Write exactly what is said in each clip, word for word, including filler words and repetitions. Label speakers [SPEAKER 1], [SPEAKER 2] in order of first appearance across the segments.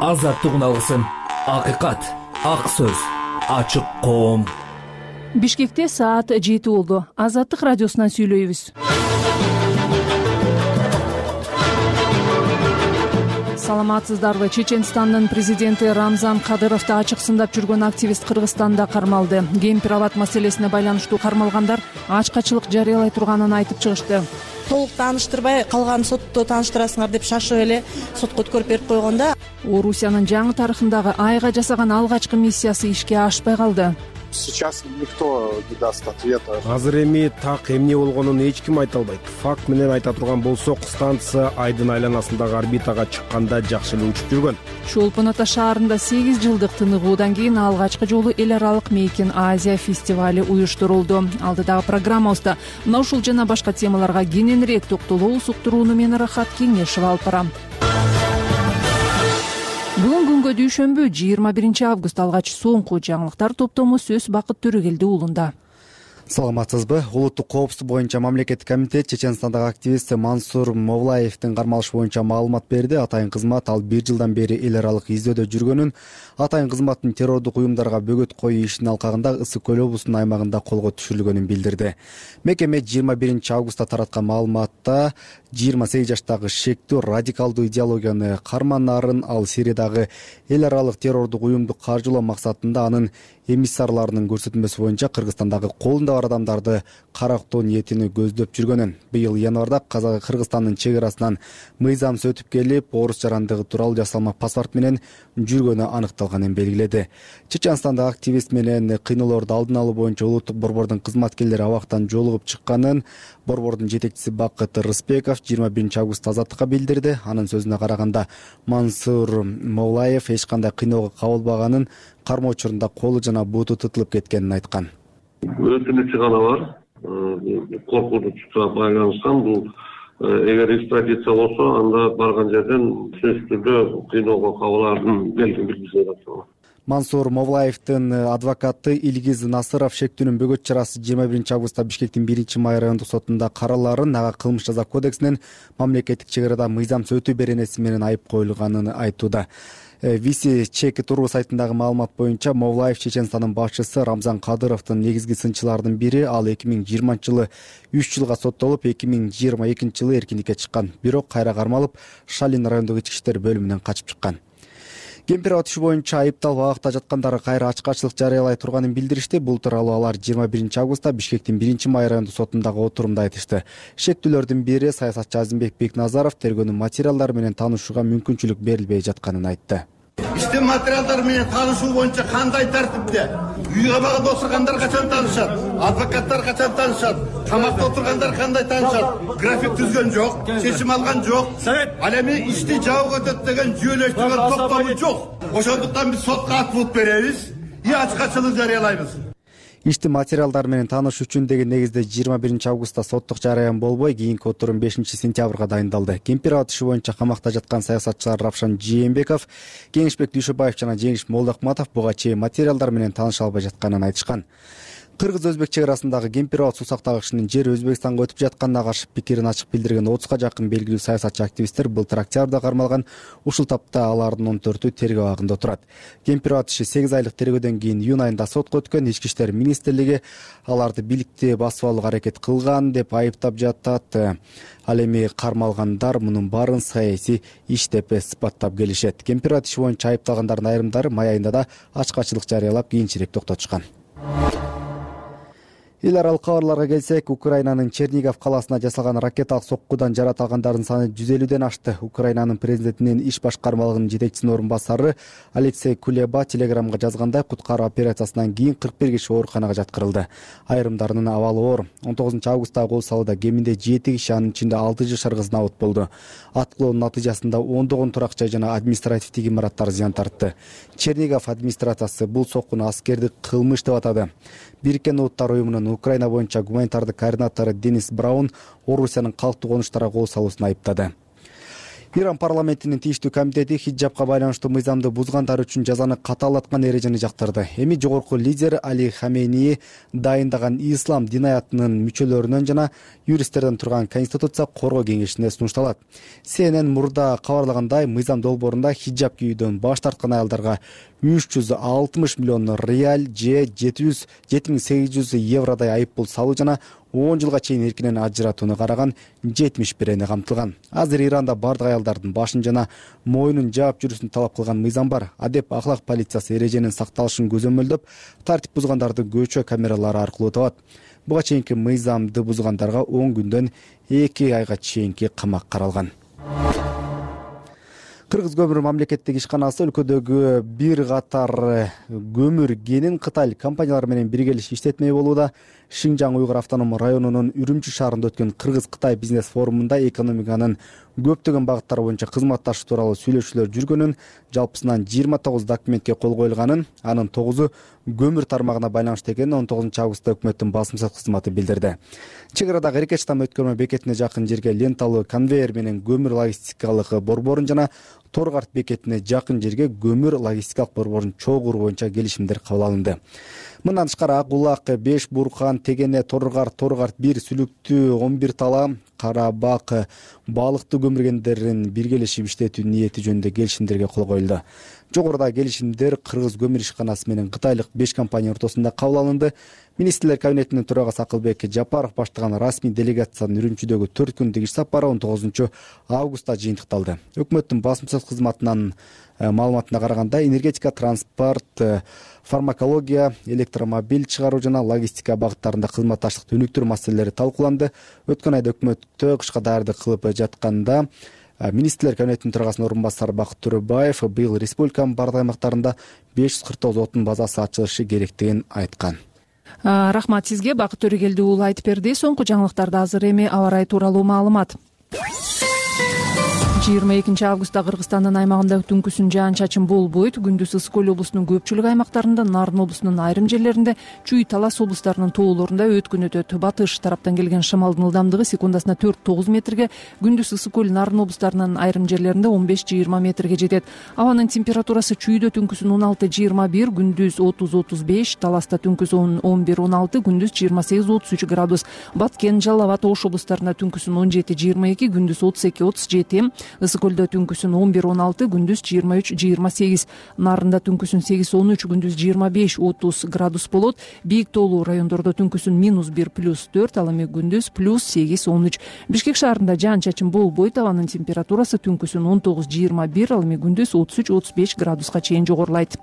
[SPEAKER 1] азаттык уналгысын, акыйкат, ак сөз, ачык коом.
[SPEAKER 2] Бишкекте саат жети болду. Азаттык радиосунан сүйлөйбүз. Саламатсыздарбы? Чеченстандын президенти Рамзан Кадыровду ачык сындап жүргөн активист Кыргызстанда кармалды. Кемпир абад маселесине байланыштуу кармалгандар ачкачылык жарыялай турганын айтып чыгышты.
[SPEAKER 3] Толук тааныштырбай калган сотто тааныштырасыңар деп шашып эле сотко өткөрүп берип койгонда
[SPEAKER 2] Орусиянын жаңы тарыхындагы айга жасаган алгачкы миссиясы ишке ашпай калды.
[SPEAKER 4] Сейчас никто не даст ответа.
[SPEAKER 5] Азыр эми так эмне болгонун эч ким айта албайт. Факт менен айта турган болсок, станция айдын айланасындагы орбитага чыкканда жакшы эле учуп жүргөн.
[SPEAKER 2] Чолпон Ата шаарында сегиз жылдык тыныгуудан кийин алгачкы жолу эл аралык Мейкин Азия фестивали уюштурулду. Алдыдагы программабызда мына ушул жана башка темаларга кененирээк токтолобуз. Уктурууну мен Рахат Кеңешева алып барам. Бүгүн күнгө дүйшөмбү жыйырма биринчи август алгач соңку жаңылыктар топтому сөз Бакыт Төрөгелди уулунда.
[SPEAKER 6] Саламатсызбы? Улуттук коопсуздук боюнча мамлекеттик комитет Чеченстандагы активист Мансур Мовлаевдин кармалышы боюнча маалымат берди. Атайын кызмат ал бир жылдан бери эл аралык издөөдө жүргөнүн, атайын кызматтын террордук уюмдарга бөгөт коюу ишинин алкагында Ысык көл облусунун аймагында колго түшүрүлгөнүн билдирди. Мекеме жыйырма биринчи августта тараткан маалыматта жыйырма сегиз жаштагы шектүү радикалдуу идеологияны карманарын, ал Сириядагы эл аралык террордук уюмду каржылоо максатында анын эмиссарларынын көрсөтмөсү боюнча Кыргызстандагы колунда бар адамдарды карактоо ниетини көздөп жүргөнүн, быйыл январда Кыргызстандын чек арасынан мыйзамсыз өтүп келип, орус жарандыгы тууралуу жасалма паспорт менен жүргөнү аныкталганын белгиледи. Чеченстандагы активист менен кыйноолорду алдын алуу боюнча улуттук борбордун кызматкерлери абактан жолугуп чыкканын борбордун жетекчиси Бакыт Рыспеков жыйырма биринчи августта Азаттыкка билдирди. Анын сөзүнө караганда, Мансур Мовлаев эч кандай кыйноого кабылбаганын, кармоо учурунда колу жана буту тытылып кеткенин айткан.
[SPEAKER 7] Өтүнүчү гана бар, коркунучка байланышкан. Бул эгер экстрадиция болсо, анда барган жерден сөзсүз түрдө кыйноого кабылаардын белгин билдиришет.
[SPEAKER 6] Мансур Мовлаевдин адвокаты Илгиз Насыров шектүүнүн бөгөт чарасы жыйырма биринчи августта Бишкектин биринчи май райондук сотунда караларын, ага кылмыш жаза кодексинин мамлекеттик чек арада мыйзамсыз өтүү беренеси менен айып коюлганын айтууда. Виси чеки тургу сайтындагы маалымат боюнча Мовлаев Чеченстандын башчысы Рамзан Кадыровдун негизги сынчыларынын бири. Ал эки миң жыйырманчы жылы үч жылга соттолуп, эки миң жыйырма экинчи жылы эркиндикке чыккан. Бирок кайра кармалып, Шалин райондук ички иштер бөлүмүнөн качып чыккан. Кемпир абад иши боюнча айыпталып абакта жаткандар кайра ачкачылык жарыялай турганын билдиришти. Бул тууралуу алар жыйырма биринчи августта Бишкектин биринчи май райондук сотундагы отурумда айтышты. Шектүүлөрдүн бири саясатчы Азимбек Бекназаров тергөөнүн материалдары менен таанышууга мүмкүнчүлүк берилбей жатканын айтты.
[SPEAKER 8] Иштин материалдары менен таанышуу боюнча кандай тартипте? Үй кабагында отургандар качан таанышат? Адвокаттар качан таанышат? Камакта отургандар кандай таанышат? График түзгөн жок, чечим алган жок. Ал эми ишти жабык өтөт деген жүйөлөштүргөн токтому жок. Ошондуктан биз сотко ат бут беребиз, и ачкачылык жарыялайбыз.
[SPEAKER 6] Ишти материалдар менен таанышуу үчүн деген негизде жыйырма биринчи августта соттук жарыян болбой, кийинки отурум бешинчи сентябрга дайындалды. Кемпир абад иши боюнча камакта жаткан саясатчылар Равшан Жээнбеков, Кеңешбек Дүйшөбаев жана Жеңиш Молдохматов буга чейин материалдар менен тааныша албай жатканын айтышкан. Кыргыз-өзбек чек арасындагы Кемпир абад суу сактагычынын жери Өзбекстанга өтүп жатканына каршы пикирин ачык билдирген отузга жакын белгилүү саясатчы активисттер былтыр октябрда кармалган. Ушул тапта алардын он төртү тергөө абагында отурат. Кемпир абад иши сегиз айлык тергөөдөн кийин июнь айында сотко өткөн. Ички иштер министрлиги аларды бийликти басып алууга аракет кылган деп айыптап жатат. Ал эми кармалгандар мунун баарын саясий иш деп сыпаттап келишет. Кемпир абад иши боюнча айыпталгандардын айрымдары май айында да ачкачылык жарыялап, кийинчерээк токтотушкан. Эл аралык кабарларга келсек, Украинанын Чернигов калаасына жасалган ракеталык соккудан жарат алгандардын саны жүз элүүдөн ашты. Украинанын президентинин иш башкармалыгынын жетекчисинин орун басары Алексей Кулеба телеграмга жазгандай, куткаруу операциясынан кийин кырк бир киши ооруканага жаткырылды. Айрымдарынын абалы оор. он тогузунчу августтагы кол салууда кеминде жети киши, анын ичинде алты жашар кыз набыт болду. Аткылоонун натыйжасында ондогон турак жай жана административдик имараттар зыян тартты. Чернигов администрациясы бул соккуну аскердик кылмыш деп атады. Бириккен Улуттар уюмунун Украина боюнча гуманитардык координатору Денис Браун Орусиянын калктуу конуштарга кол салуусун айыптады. Иран парламентинин тийиштүү комитети хиджабка байланыштуу мыйзамды бузгандар үчүн жазаны катаалаткан эрежени жактырды. Эми жогорку лидер Али Хамейни дайындаган ислам динаятынын мүчөлөрүнөн жана юристтерден турган Конституция коргоо кеңешине сунушталат. Си Эн Эн мурда кабарлагандай, мыйзам долбоорунда хиджаб кийүүдөн баш тарткан аялдарга үч жүз алтымыш миллион реал же жети миң сегиз жүз евродой айып пул салуу жана он жылга чейин эркинен ажыратууну караган жетимиш бир эне камтылган. Азыр Иранда бардык аялдардын башын жана мойнун жаап жүрүүсүн талап кылган мыйзам бар. Адеп ахлак полициясы эреженин сакталышын көзөмөлдөп, тартип бузгандарды көчө камералары аркылуу табат. Буга чейинки мыйзамды бузгандарга он күндөн эки айга чейинки камак каралган. Кыргыз көмүр мамлекеттик ишканасы өлкөдөгү бир катар көмүр кенин Кытай компаниялары менен биргелешип иштетмей болууда. Шинжаң Уйгур автоном районунун Үрүмчү шаарында өткөн Кыргыз-Кытай бизнес форумунда экономиканын көптөгөн багыттары боюнча кызматташуу тууралуу сүйлөшүүлөр жүргөнүн, жалпысынан жыйырма тогуз документке кол коюлганын, анын тогузу көмүр тармагына байланыштуу экенин он тогузунчу августта өкмөттүн басым сөз кызматы билдирди. Чек арадагы Эркеч там өткөрмө бекетине жакын жерге ленталуу конвейер менен көмүр логистикалык борборун жана Торгарт бекетине жакын жерге көмүр логистикалык борборун чогуу куруу боюнча келишимдер кабыл алынды. Мындан тышкары Ак Булак, Беш Буркан, Тегене, Торгарт, Торгарт бир, Сүлүктүү он бир тала, Карабак балыктуу көмүргендерин биргелешип иштетүү ниети жөнүндө келишимдерге кол коюлду. Жогоруда келишимдер Кыргыз көмүр ишканасы менен кытайлык беш компания ортосунда кабыл алынды. Министрлер кабинетинин төрагасы Акылбек Жапаров баштаган расмий делегациянын Үрүмчүдөгү төрт күндүк иш сапары он тогузунчу августта жыйынтыкталды. Өкмөттүн басым сөз кызматынын маалыматына караганда, энергетика, транспорт, фармакология, электромобиль чыгаруу жана логистика багыттарында кызматташтыкты өнүктүрүү маселелери талкууланды. Өткөн айда өкмөттө кышка даярдык кылып жатканда Министрлер кабинетинин төрагасынын орун басары Бакыт Төрөбаев быйыл республиканын бардык аймактарында беш жүз кырк тогуз отун базасы ачылышы керектигин айткан.
[SPEAKER 2] Рахмат сизге, Бакыт Төрөгелди уулу айтып берди. Соңку жаңылыктарда азыр эми аба ырайы тууралуу маалымат. жыйырма экинчи августта Кыргызстандын аймагында түнкүсүн жаан-чачын болбойт. Күндүз ысык көл облусунун көпчүлүк аймактарында, Нарын облусунун айрым жерлеринде, Чүй, Талас облустарынын тоолорунда өткүн өтөт. Батыш тараптан келген шамалдын ылдамдыгы секундасына төрт тогуз метрге, күндүз ысык көл, Нарын облустарынын айрым жерлеринде он беш жыйырма метрге жетет. Абанын температурасы Чүйдө түнкүсүн он алты жыйырма бир, күндүз отуз отуз беш, Таласта түнкүс он бир он алты, күндүз жыйырма сегиз отуз үч градус. Баткен, Жалал абад, Ош облустарында түнкүсүн он жети жыйырма эки, күндүз отуз эки отуз жети, Ысык көлдө түнкүсүн он бир он алты, күндүз жыйырма үч жыйырма сегиз, Нарында түнкүсүн сегиз он үч, күндүз жыйырма беш отуз градус болот. Бийик тоолуу райондордо түнкүсүн минус бир плюс төрт, ал эми күндүз плюс сегиз он үч. Бишкек шаарында жаан-чачын болбойт. Абанын температурасы түнкүсүн он тогуз жыйырма бир, ал эми күндүз отуз үч отуз беш градуска чейин жогорулайт.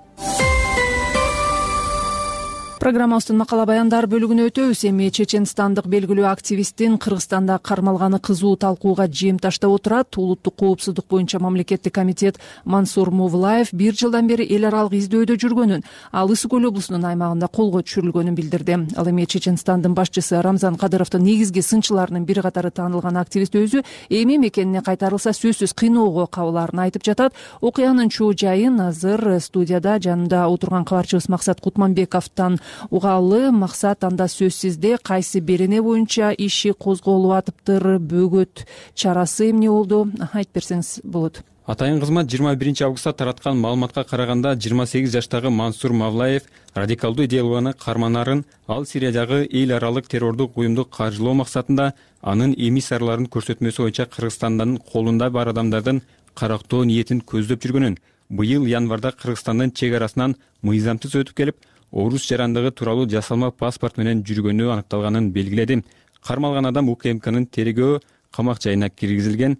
[SPEAKER 2] Программабыздын макала баяндар бөлүгүнө өтөбүз. Эми чеченстандык белгилүү активисттин Кыргызстанда кармалганы кызуу талкууга жем таштап отурат. Улуттук коопсуздук боюнча мамлекеттик комитет Мансур Мовлаев бир жылдан бери эл аралык издөөдө жүргөнүн, ал Ысык көл облусунун аймагында колго түшүрүлгөнүн билдирди. Ал эми Чеченстандын башчысы Рамзан Кадыровдун негизги сынчыларынын бир катары таанылган активист өзү эми мекенине кайтарылса сөзсүз кыйноого кабылаарын айтып жатат. Окуянын чоо жайын азыр студияда жанымда отурган кабарчыбыз Максат Кутманбековдон угалы. Максат, анда сөзсүздө кайсы берене боюнча иши козголуп атыптыр, бөгөт чарасы эмне болду, айтып берсеңиз болот.
[SPEAKER 9] Атайын кызмат жыйырма биринчи августта тараткан маалыматка караганда, жыйырма сегиз жаштагы Мансур Мавлаев радикалдуу идеялууну карманарын, ал Сириядагы эл аралык террордук уюмду каржылоо максатында анын эмиссарларын көрсөтмөсү боюнча Кыргызстандын колунда бар адамдардын карактоо ниетин көздөп жүргөнүн, быйыл январда Кыргызстандын чек арасынан мыйзамсыз өтүп келип, орус жарандыгы тууралуу жасалма паспорт менен жүргөнү аныкталганын белгиледи. Кармалган адам УКМКнын тергөө камак жайына киргизилген.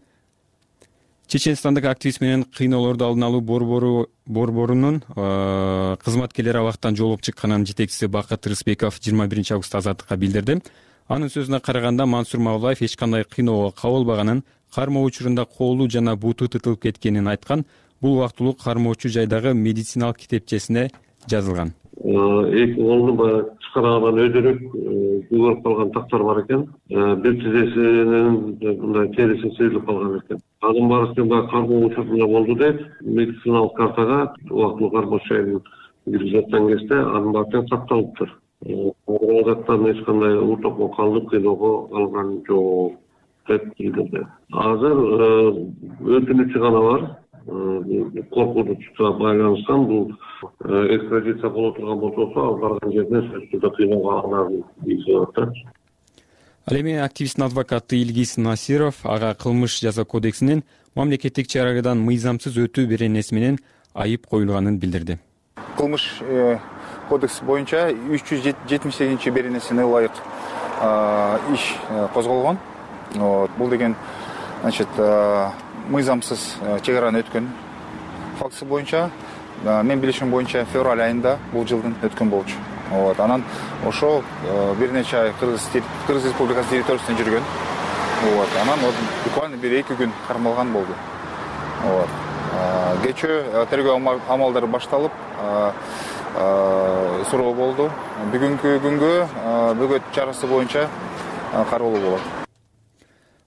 [SPEAKER 9] Чеченстандык активист менен кыйноолорду алдын алуу борбору борборунун кызматкерлери абактан жолугуп чыкканын жетекчиси Бакыт Рыспеков жыйырма биринчи августта Азаттыкка билдирди. Анын сөзүнө караганда, Мансур Мавлаев эч кандай кыйноого кабылбаганын, кармоо учурунда колу жана буту тытылып кеткенин айткан. Бул убактылуу кармоочу жайдагы медициналык китепчесине жазылган.
[SPEAKER 7] Эки колду баягы чыкарган өйдөрүк көгөрүп калган тактар бар экен. Бир тизесинин мындай териси сыйылып калган экен. Анын баары баягы кармоо учурунда болду дейт. Медициналык картага убактылуу кармоо жайын киргизип аткан кезде анын баары сакталыптыр. Азаттан эч кандай уртокко калып кыйноого алган жок. деп билдирди. Азыр өтүнүчү гана бар. Коркунучка байланышкан бул экстрадиция боло турган болсо, ал барган жерден сөзсүз түрдө кыйноого алынарын билдирип атат.
[SPEAKER 9] Ал эми активисттин адвокаты Илгиз Насиров ага кылмыш жаза кодексинин мамлекеттик чарадан мыйзамсыз өтүү беренеси менен айып коюлганын билдирди.
[SPEAKER 10] Кылмыш кодекси боюнча үч жүз жетимиш сегизинчи беренесине ылайык иш козголгон. Бул деген, значит, мыйзамсыз чек араны өткөн фактысы боюнча, мен билишим боюнча февраль айында бул жылдын өткөн болчу. Вот, анан ошол бир нече ай Кыргыз Республикасы территориясында жүргөн. Вот, анан буквально бир эки күн кармалган болду. Вот. Кечээ тергөө амалдары башталып, суроо болду. Бүгүнкү күнгө бөгөт чарасы боюнча кароолуу болот.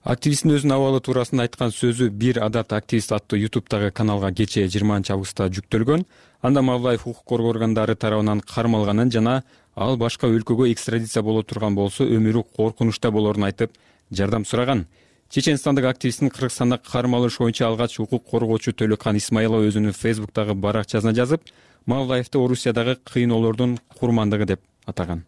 [SPEAKER 9] Активисттин өзүнүн абалы туурасында айткан сөзү «Бир адат активист» аттуу ютубтагы каналга кечээ жыйырманчы августта жүктөлгөн. Анда Мавлаев укук коргоо органдары тарабынан кармалганын жана ал башка өлкөгө экстрадиция боло турган болсо өмүрү коркунучта болорун айтып, жардам сураган. Чеченстандык активисттин Кыргызстанда кармалыш боюнча алгач укук коргоочу Төлөкан Исмаилов өзүнүн фейсбуктагы баракчасына жазып, Мавлаевди Орусиядагы кыйноолордун курмандыгы деп атаган.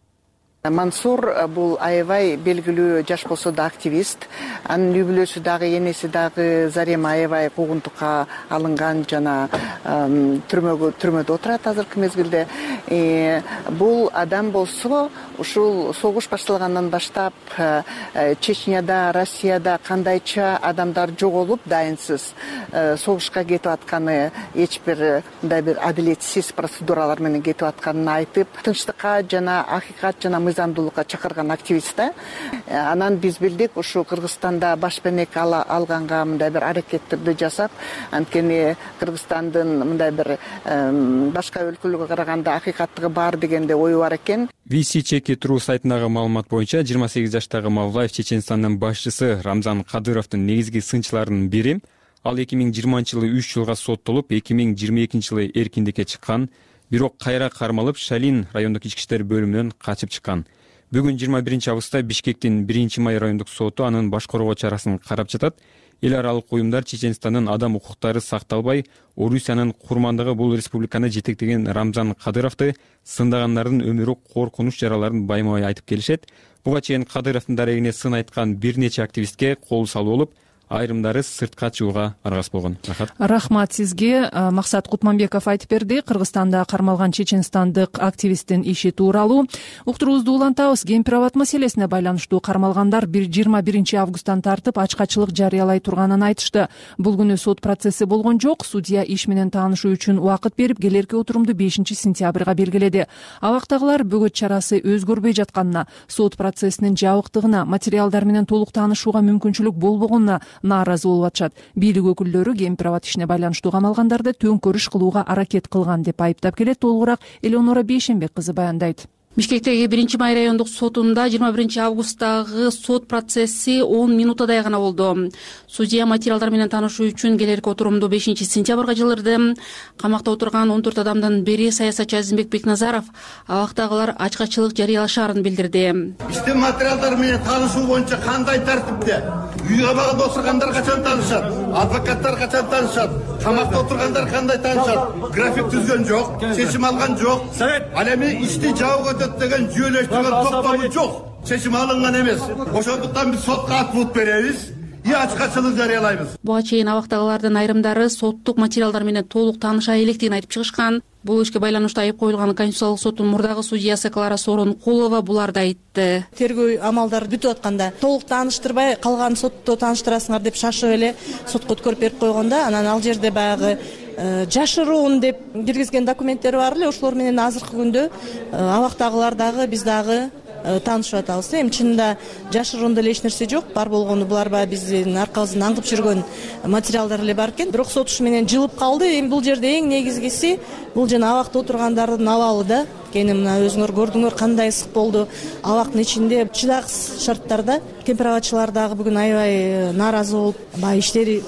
[SPEAKER 11] Мансур бул аябай белгилүү жаш болсо да активист. Анын үй бүлөсү дагы, энеси дагы Зарема аябай куугунтукка алынган жана түрмөгө түрмөдө отурат азыркы мезгилде. Бул адам болсо ушул согуш башталгандан баштап Чечняда, Россияда кандайча адамдар жоголуп дайынсыз согушка кетип атканы, эч бир мындай бир адилетсиз процедуралар менен кетип атканын айтып, тынчтыкка жана акыйкат жана мыйзамдуулукка чакырган активист да. Анан биз билдик, ушу Кыргызстанда башпенек алганга мындай бир аракеттерди жасап, анткени Кыргызстандын мындай бир башка өлкөлөргө караганда акыйкаттыгы бар дегенде ою бар экен.
[SPEAKER 9] ви си Чеки Тру сайтындагы маалымат боюнча жыйырма сегиз жаштагы Мавлаев Чеченстандын башчысы Рамзан Кадыровдун негизги сынчыларынын бири. Ал эки миң жыйырманчы жылы үч жылга соттолуп, эки миң жыйырма экинчи жылы эркиндикке чыккан. Бирок кайра кармалып, Шалин райондук ички иштер бөлүмүнөн качып чыккан. Бүгүн жыйырма биринчи августта Бишкектин биринчи май райондук соту анын баш коргоо чарасын карап жатат. Эл аралык уюмдар Чеченстандын адам укуктары сакталбай, Орусиянын курмандыгы бул республиканы жетектеген Рамзан Кадыровду сындагандардын өмүрү коркунуч жараларын байма-бай айтып келишет. Буга чейин Кадыровдун дарегине сын айткан бир нече активистке кол салуу болуп, айрымдары сыртка чыгууга аргасыз болгон. Рахат.
[SPEAKER 2] Рахмат сизге. Максат Кутманбеков айтып берди. Кыргызстанда кармалган чеченстандык активисттин иши тууралуу. Уктуруубузду улантабыз. Гемпирабад маселесине байланыштуу кармалгандар жыйырма биринчи августтан тартып ачкачылык жарыялай турганын айтышты. Бул күнү сот процесси болгон жок. Судья иш менен таанышуу үчүн убакыт берип, келерки отурумду бешинчи сентябрга белгиледи. Абактагылар бөгөт чарасы өзгөрбөй жатканына, сот процессинин жабыктыгына, материалдар менен толук таанышууга мүмкүнчүлүк болбогонуна нааразы болуп атышат. Бийлик өкүлдөрү Гемпирабад ишине байланыштуу камалгандарды төңкөрүш кылууга аракет кылган деп айыптап келет. Толугураак Элеонора Бейшенбек кызы баяндайт.
[SPEAKER 12] Бишкектеги биринчи май райондук сотунда жыйырма биринчи августтагы сот процесси он минутадай гана болду. Судья материалдар менен таанышуу үчүн келерки отурумду бешинчи сентябрга жылдырды. Камакта отурган он төрт адамдын бири саясатчы Азимбек Бекназаров абактагылар ачкачылык жарыялашаарын билдирди.
[SPEAKER 8] Иштин материалдары менен таанышуу боюнча кандай тартипте? Үй кабагында отургандар качан таанышат? Адвокаттар качан таанышат? Камакта отургандар кандай таанышат? График түзгөн жок, чечим алган жок. Ал эми ишти жабып деген жүйөлөштүргөн токтому жок. Чечим алынган эмес. Ошондуктан биз сотко ат бут беребиз. И ачкачылык жарыялайбыз.
[SPEAKER 12] Буга чейин абактагылардын айрымдары соттук материалдар менен толук тааныша электигин айтып чыгышкан. Бул ишке байланыштуу айып коюлган Конституциялык соттун мурдагы судьясы Клара Сооронкулова буларды айтты.
[SPEAKER 3] Тергөө амалдары бүтүп атканда толук тааныштырбай калган сотто тааныштырасыңар деп шашып эле сотко өткөрүп берип койгонда, анан ал жерде баягы жашыруун деп киргизген документтер бар эле. Ошолор менен азыркы күндө абактагылар дагы биз дагы таанышып атабыз. Эми чынында жашыруунда эле эч нерсе жок. Бар болгону булар баягы биздин аркабыздан аңгып жүргөн материалдар эле бар экен. Бирок сот иш менен жылып калды. Эми бул жерде эң негизгиси бул жана абакта отургандардын абалы да. Кени мына өзүңөр көрдүңөр кандай ысык болду. Абактын ичинде чыдагысыз шарттарда Кемпирабадчылар дагы бүгүн аябай нааразы болуп, баягы иштери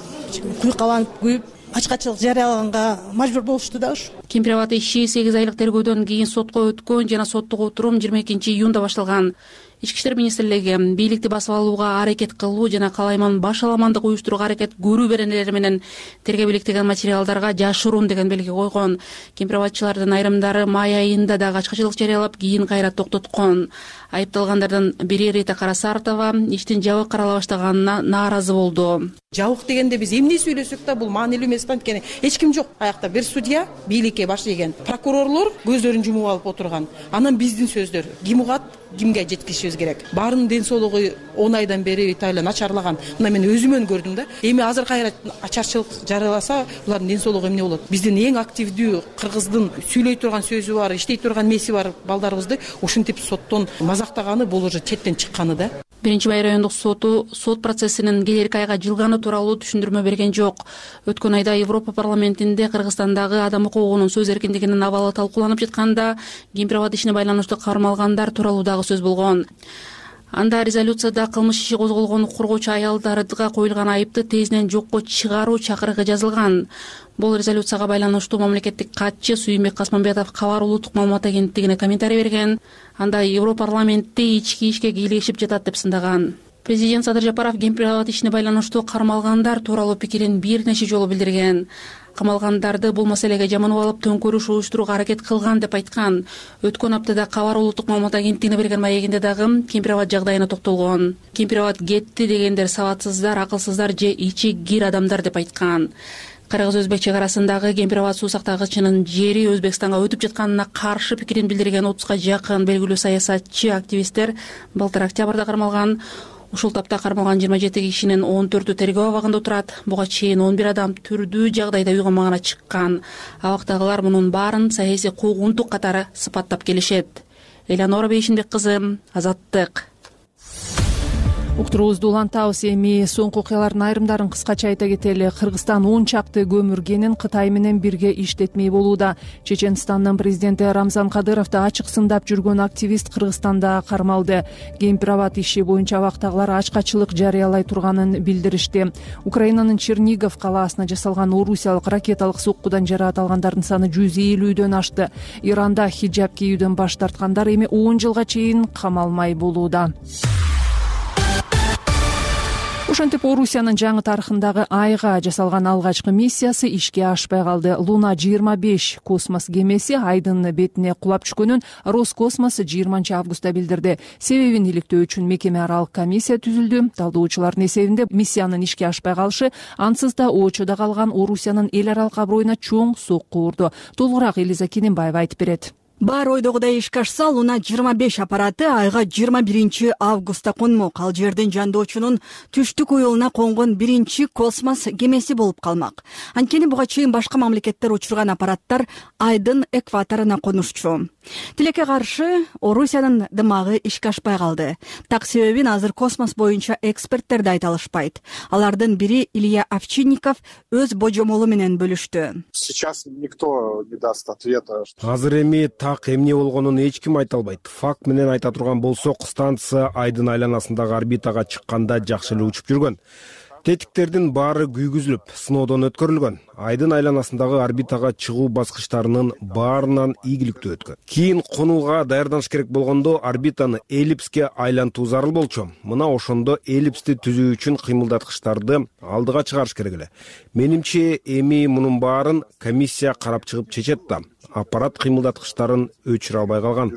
[SPEAKER 3] куйкаланып күйүп ачкачылык жарыялаганга мажбур болушту да ушу.
[SPEAKER 12] Кемпирабад иши сегиз айлык тергөөдөн кийин сотко өткөн жана соттук отурум жыйырма экинчи июнда башталган. Ички иштер министрлиги бийликти басып алууга аракет кылуу жана калайман баш аламандык уюштурууга аракет көрүү беренелери менен тергеп иликтеген материалдарга жашыруун деген белги койгон. Кемпир-абадчылардын айрымдары май айында да качкачылык жарыялап, кийин кайра токтоткон. Айыпталгандардын бири Рита Карасартова иштин жабык карала баштаганына нааразы болду.
[SPEAKER 13] Жабык дегенде биз эмне сүйлөсөк да бул маанилүү эмес, анткени эч ким жок. Аякта бир судья бийликке баш ийген, прокурорлор көздөрүн жумуп алып отурган. Анан биздин сөздөр ким угат, кимге жеткизишибиз керек. Баарынын ден соолугу он айдан бери Италия начарлаган. Мына мен өзүмөн көрдүм да. Эми азыр кайра ачарчылык жарыяласа, булардын ден соолугу эмне болот? Биздин эң активдүү кыргыздын сүйлөй турган сөзү бар, иштей турган меси бар балдарыбызды ушинтип соттон мазактаганы бул уже четтен чыкканы да.
[SPEAKER 12] Биринчи Бай райондук соту сот процессинин келерки айга жылганы тууралуу түшүндүрмө берген жок. Өткөн айда Европа парламентинде Кыргызстандагы адам укугунун сөз эркиндигинин абалы талкууланып жатканда Кемпир-Абад ишине байланыштуу кармалгандар тууралуу дагы сөз болгон. Анда резолюцияда кылмыш иши козголгон коргоочу аялдарга коюлган айыпты тезинен жокко чыгаруу чакырыгы жазылган. Бул резолюцияга байланыштуу мамлекеттик катчы Сүйүнбек Касманбетов Кабар улуттук маалымат агенттигине комментарий берген. Анда Европарламентте ички ишке кийлешип жатат деп сындаган. Президент Садыр Жапаров Кемпир-Абад ишине байланыштуу кармалгандар тууралуу пикирин бир нече жолу билдирген. Камалгандарды бул маселеге жаманып алып төңкөрүш уюштурууга аракет кылган деп айткан. Өткөн аптада Кабар улуттук маалымат агенттигине берген маегинде дагы Кемпир-Абад жагдайына токтолгон. Кемпир-Абад кетти дегендер сабатсыздар, акылсыздар же ичи кир адамдар деп айткан. Кыргыз-Өзбек чек арасындагы Кемпир-Абад суу сактагычынын жери Өзбекстанга өтүп жатканына каршы пикирин билдирген отузга жакын белгилүү саясатчы, активисттер былтыр октябрда кармалган. Ушул тапта кармалган жыйырма жети кишинин он төртү тергөө абагында отурат. Буга чейин он бир адам түрдүү жагдайда үй камагына чыккан. Абактагылар мунун баарын саясий куугунтук катары сыпаттап келишет. Элеонора Бейшинбек кызы, Азаттык.
[SPEAKER 2] Уктуруубузду улантабыз. Эми соңку окуялардын айрымдарын кыскача айта кетели. Кыргызстан он чакты көмүр кенин Кытай менен бирге иштетмей болууда. Чеченстандын президенти Рамзан Кадыровду ачык сындап жүргөн активист Кыргызстанда кармалды. Кемпир-Абад иши боюнча абактагылар ачкачылык жарыялай турганын билдиришти. Украинанын Чернигов калаасына жасалган орусиялык ракеталык соккудан жараат алгандардын саны жүз элүүдөн ашты. Иранда хиджаб кийүүдөн баш тарткандар эми он жылга чейин камалмай болууда. Ошентип Орусиянын жаңы тарыхындагы айга жасалган алгачкы миссиясы ишке ашпай калды. Луна жыйырма беш космос кемеси айдын бетине кулап түшкөнүн Роскосмос жыйырманчы августта билдирди. Себебин иликтөө үчүн мекеме аралык комиссия түзүлдү. Талдоочулардын эсебинде миссиянын ишке ашпай калышы ансыз да очодо калган Орусиянын эл аралык аброюна чоң сокку урду. Толугураак Элиза Кененбаева айтып берет.
[SPEAKER 14] Бар ойдогудай ишке ашса, Луна жыйырма беш аппараты айга жыйырма биринчи августта конмок. Ал жердин жандоочунун түштүк уюлуна конгон биринчи космос кемеси болуп калмак. Анткени буга чейин башка мамлекеттер учурган аппараттар айдын экваторуна конушчу. Тилекке каршы Орусиянын дымагы ишке ашпай калды. Так себебин азыр космос боюнча эксперттер да айта алышпайт. Алардын бири Илья Овчинников өз божомолу менен бөлүштү.
[SPEAKER 4] Сейчас никто не даст ответа.
[SPEAKER 5] Азыр эми так эмне болгонун эч ким айта албайт. Факт менен айта турган болсок, станция айдын айланасындагы орбитага чыкканда жакшы эле учуп жүргөн. Тетиктердин баары күйгүзүлүп, сыноодон өткөрүлгөн. Айдын айланасындагы орбитага чыгуу баскычтарынын баарынан ийгиликтүү өткөн. Кийин конууга даярданыш керек болгондо орбитаны эллипске айлантуу зарыл болчу. Мына ошондо эллипсти түзүү үчүн кыймылдаткычтарды алдыга чыгарыш керек эле. Менимче эми мунун баарын комиссия карап чыгып чечет да. Аппарат кыймылдаткычтарын өчүрө албай калган.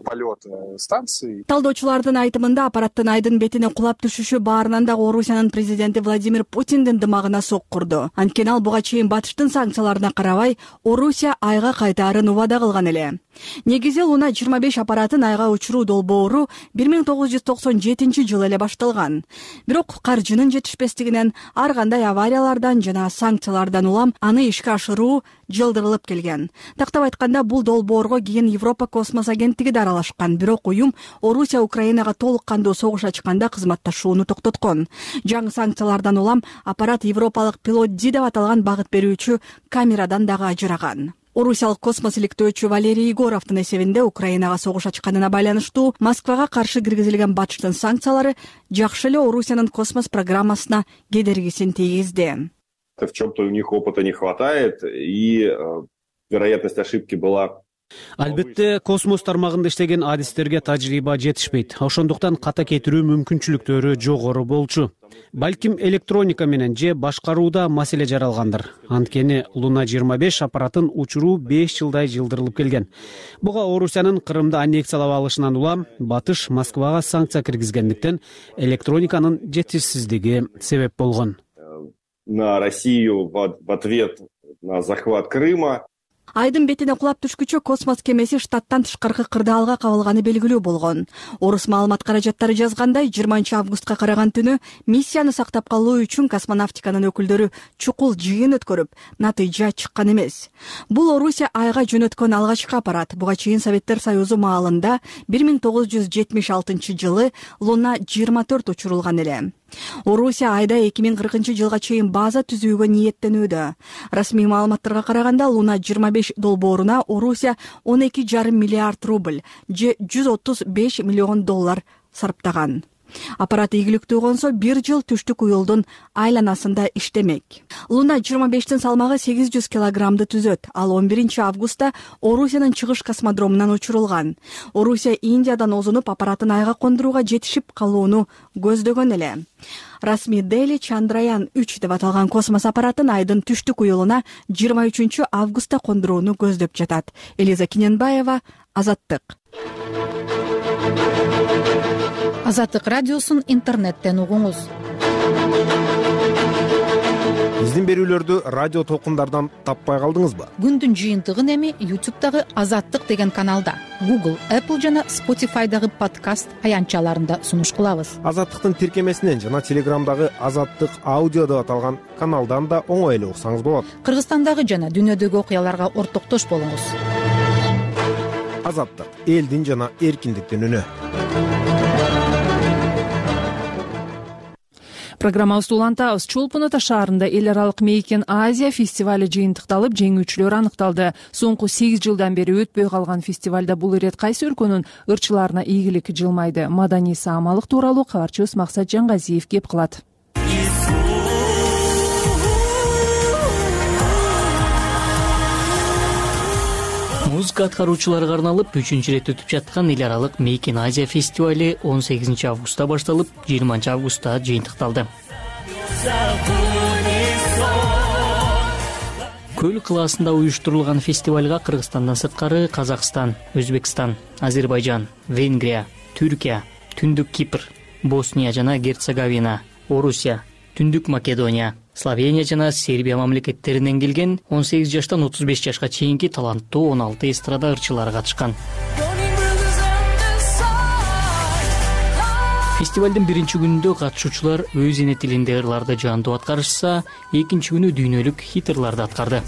[SPEAKER 4] Полет станции.
[SPEAKER 14] Талдоочулардын айтымында аппараттын айдын бетине кулап түшүшү баарынан да Орусиянын президенти Владимир Путиндин дымагына соккурду. Анткени ал буга чейин батыштын санкцияларына карабай Орусия айга кайтаарын убада кылган эле. Негизи Луна жыйырма беш аппаратын айга учуруу долбоору бир миң тогуз жүз токсон жетинчи жылы эле башталган. Бирок каржынын жетишпестигинен, ар кандай авариялардан жана санкциялардан улам аны ишке ашыруу жылдырылып келген. Тактап айтканда, бул долбоорго кийин Европа космос агенттиги да аралашкан. Бирок уюм Орусия Украинага толук кандуу согуш ачканда кызматташууну токтоткон. Жаңы санкциялардан улам аппарат европалык пилотди деп аталган багыт берүүчү камерадан дагы ажыраган. Орусиялык космос иликтөөчү Валерий Егоровдун эсебинде Украинага согуш ачканына байланыштуу Москвага каршы киргизилген батыштын санкциялары жакшы эле Орусиянын космос программасына кедергисин тийгизди.
[SPEAKER 15] В чем-то у них опыта не хватает, и э, вероятность ошибки была Албетте космос тармагында иштеген адистерге тажрыйба жетишпейт. Ошондуктан ката кетирүү мүмкүнчүлүктөрү жогору болчу. Балким электроника менен же башкарууда маселе жаралгандыр. Анткени Луна жыйырма беш аппаратын учуруу беш жылдай жылдырылып келген. Буга Орусиянын Крымды аннексиялап алышынан улам Батыш Москвага санкция киргизгендиктен электрониканын жетишсиздиги себеп болгон.
[SPEAKER 16] На Россию в ответ на захват Крыма.
[SPEAKER 14] Айдын бетине кулап түшкүчө космос кемеси штаттан тышкаркы кырдаалга кабылганы белгилүү болгон. Орус маалымат каражаттары жазгандай, жыйырманчы августка караган түнү миссияны сактап калуу үчүн космонавтиканын өкүлдөрү чукул жыйын өткөрүп, натыйжа чыккан эмес. Бул Орусия айга жөнөткөн алгачкы аппарат. Буга чейин Советтер Союзу маалында бир миң тогуз жүз жетимиш алтынчы жылы Луна жыйырма төрт учурулган эле. Орусия айда эки миң кыркынчы жылга чейин база түзүүгө ниеттенүүдө. Расмий маалыматтарга караганда Луна жыйырма беш долбооруна Орусия он эки жарым миллиард рубль же жүз отуз беш миллион доллар сарптаган. Аппарат ийгиликтүү консо бир жыл түштүк уюлдун айланасында иштемек. Луна жыйырма бештин салмагы сегиз жүз килограммды түзөт. Ал он биринчи августта Орусиянын чыгыш космодромунан учурулган. Орусия Индиядан озунуп аппаратын айга кондурууга жетишип калууну көздөгөн эле. Расмий Дели Чандраян үч деп аталган космос аппаратын айдын түштүк уюлуна жыйырма үчүнчү августта кондурууну көздөп жатат. Элиза Киненбаева, Азаттык.
[SPEAKER 17] Азаттык радиосун интернеттен угуңуз.
[SPEAKER 5] Биздин берүүлөрдү радио толкундардан таппай калдыңызбы?
[SPEAKER 17] Күндүн жыйынтыгын эми YouTube'дагы Азаттык деген каналда, Google, Apple жана Spotify'дагы подкаст аянтчаларында сунуш кылабыз.
[SPEAKER 5] Азаттыктын тиркемесинен жана Телеграмдагы Азаттык аудио деп аталган каналдан да оңой эле уксаңыз болот.
[SPEAKER 17] Кыргызстандагы жана дүйнөдөгү окуяларга ортоктош болуңуз.
[SPEAKER 5] Азаттык — элдин жана эркиндиктин үнү.
[SPEAKER 2] Программабызды улантабыз. Чолпон Ата шаарында эл аралык Мейкин Азия фестивали жыйынтыкталып, жеңүүчүлөр аныкталды. Соңку сегиз жылдан бери өтпөй калган фестивалда бул ирет кайсы өлкөнүн ырчыларына ийгилик жылмайды? Маданий саамалык тууралуу кабарчыбыз Максат Жангазиев кеп кылат.
[SPEAKER 18] Музыка аткаруучуларга арналып үчүнчү ирет өтүп жаткан эл аралык Мейкин Азия фестивали он сегизинчи августта башталып, жыйырманчы августта жыйынтыкталды. Көл кылаасында уюштурулган фестивалга Кыргызстандан сырткары Казакстан, Өзбекстан, Азербайжан, Венгрия, Түркия, Түндүк Кипр, Босния жана Герцеговина, Орусия, Түндүк Македония, Словения жана Сербия мамлекеттеринен келген он сегиз жаштан отуз беш жашка чейинки таланттуу он алты эстрада ырчылары катышкан. Фестивалдын биринчи күнүндө катышуучулар өз эне тилинде ырларды жандуу аткарышса, экинчи күнү дүйнөлүк хит ырларды аткарды.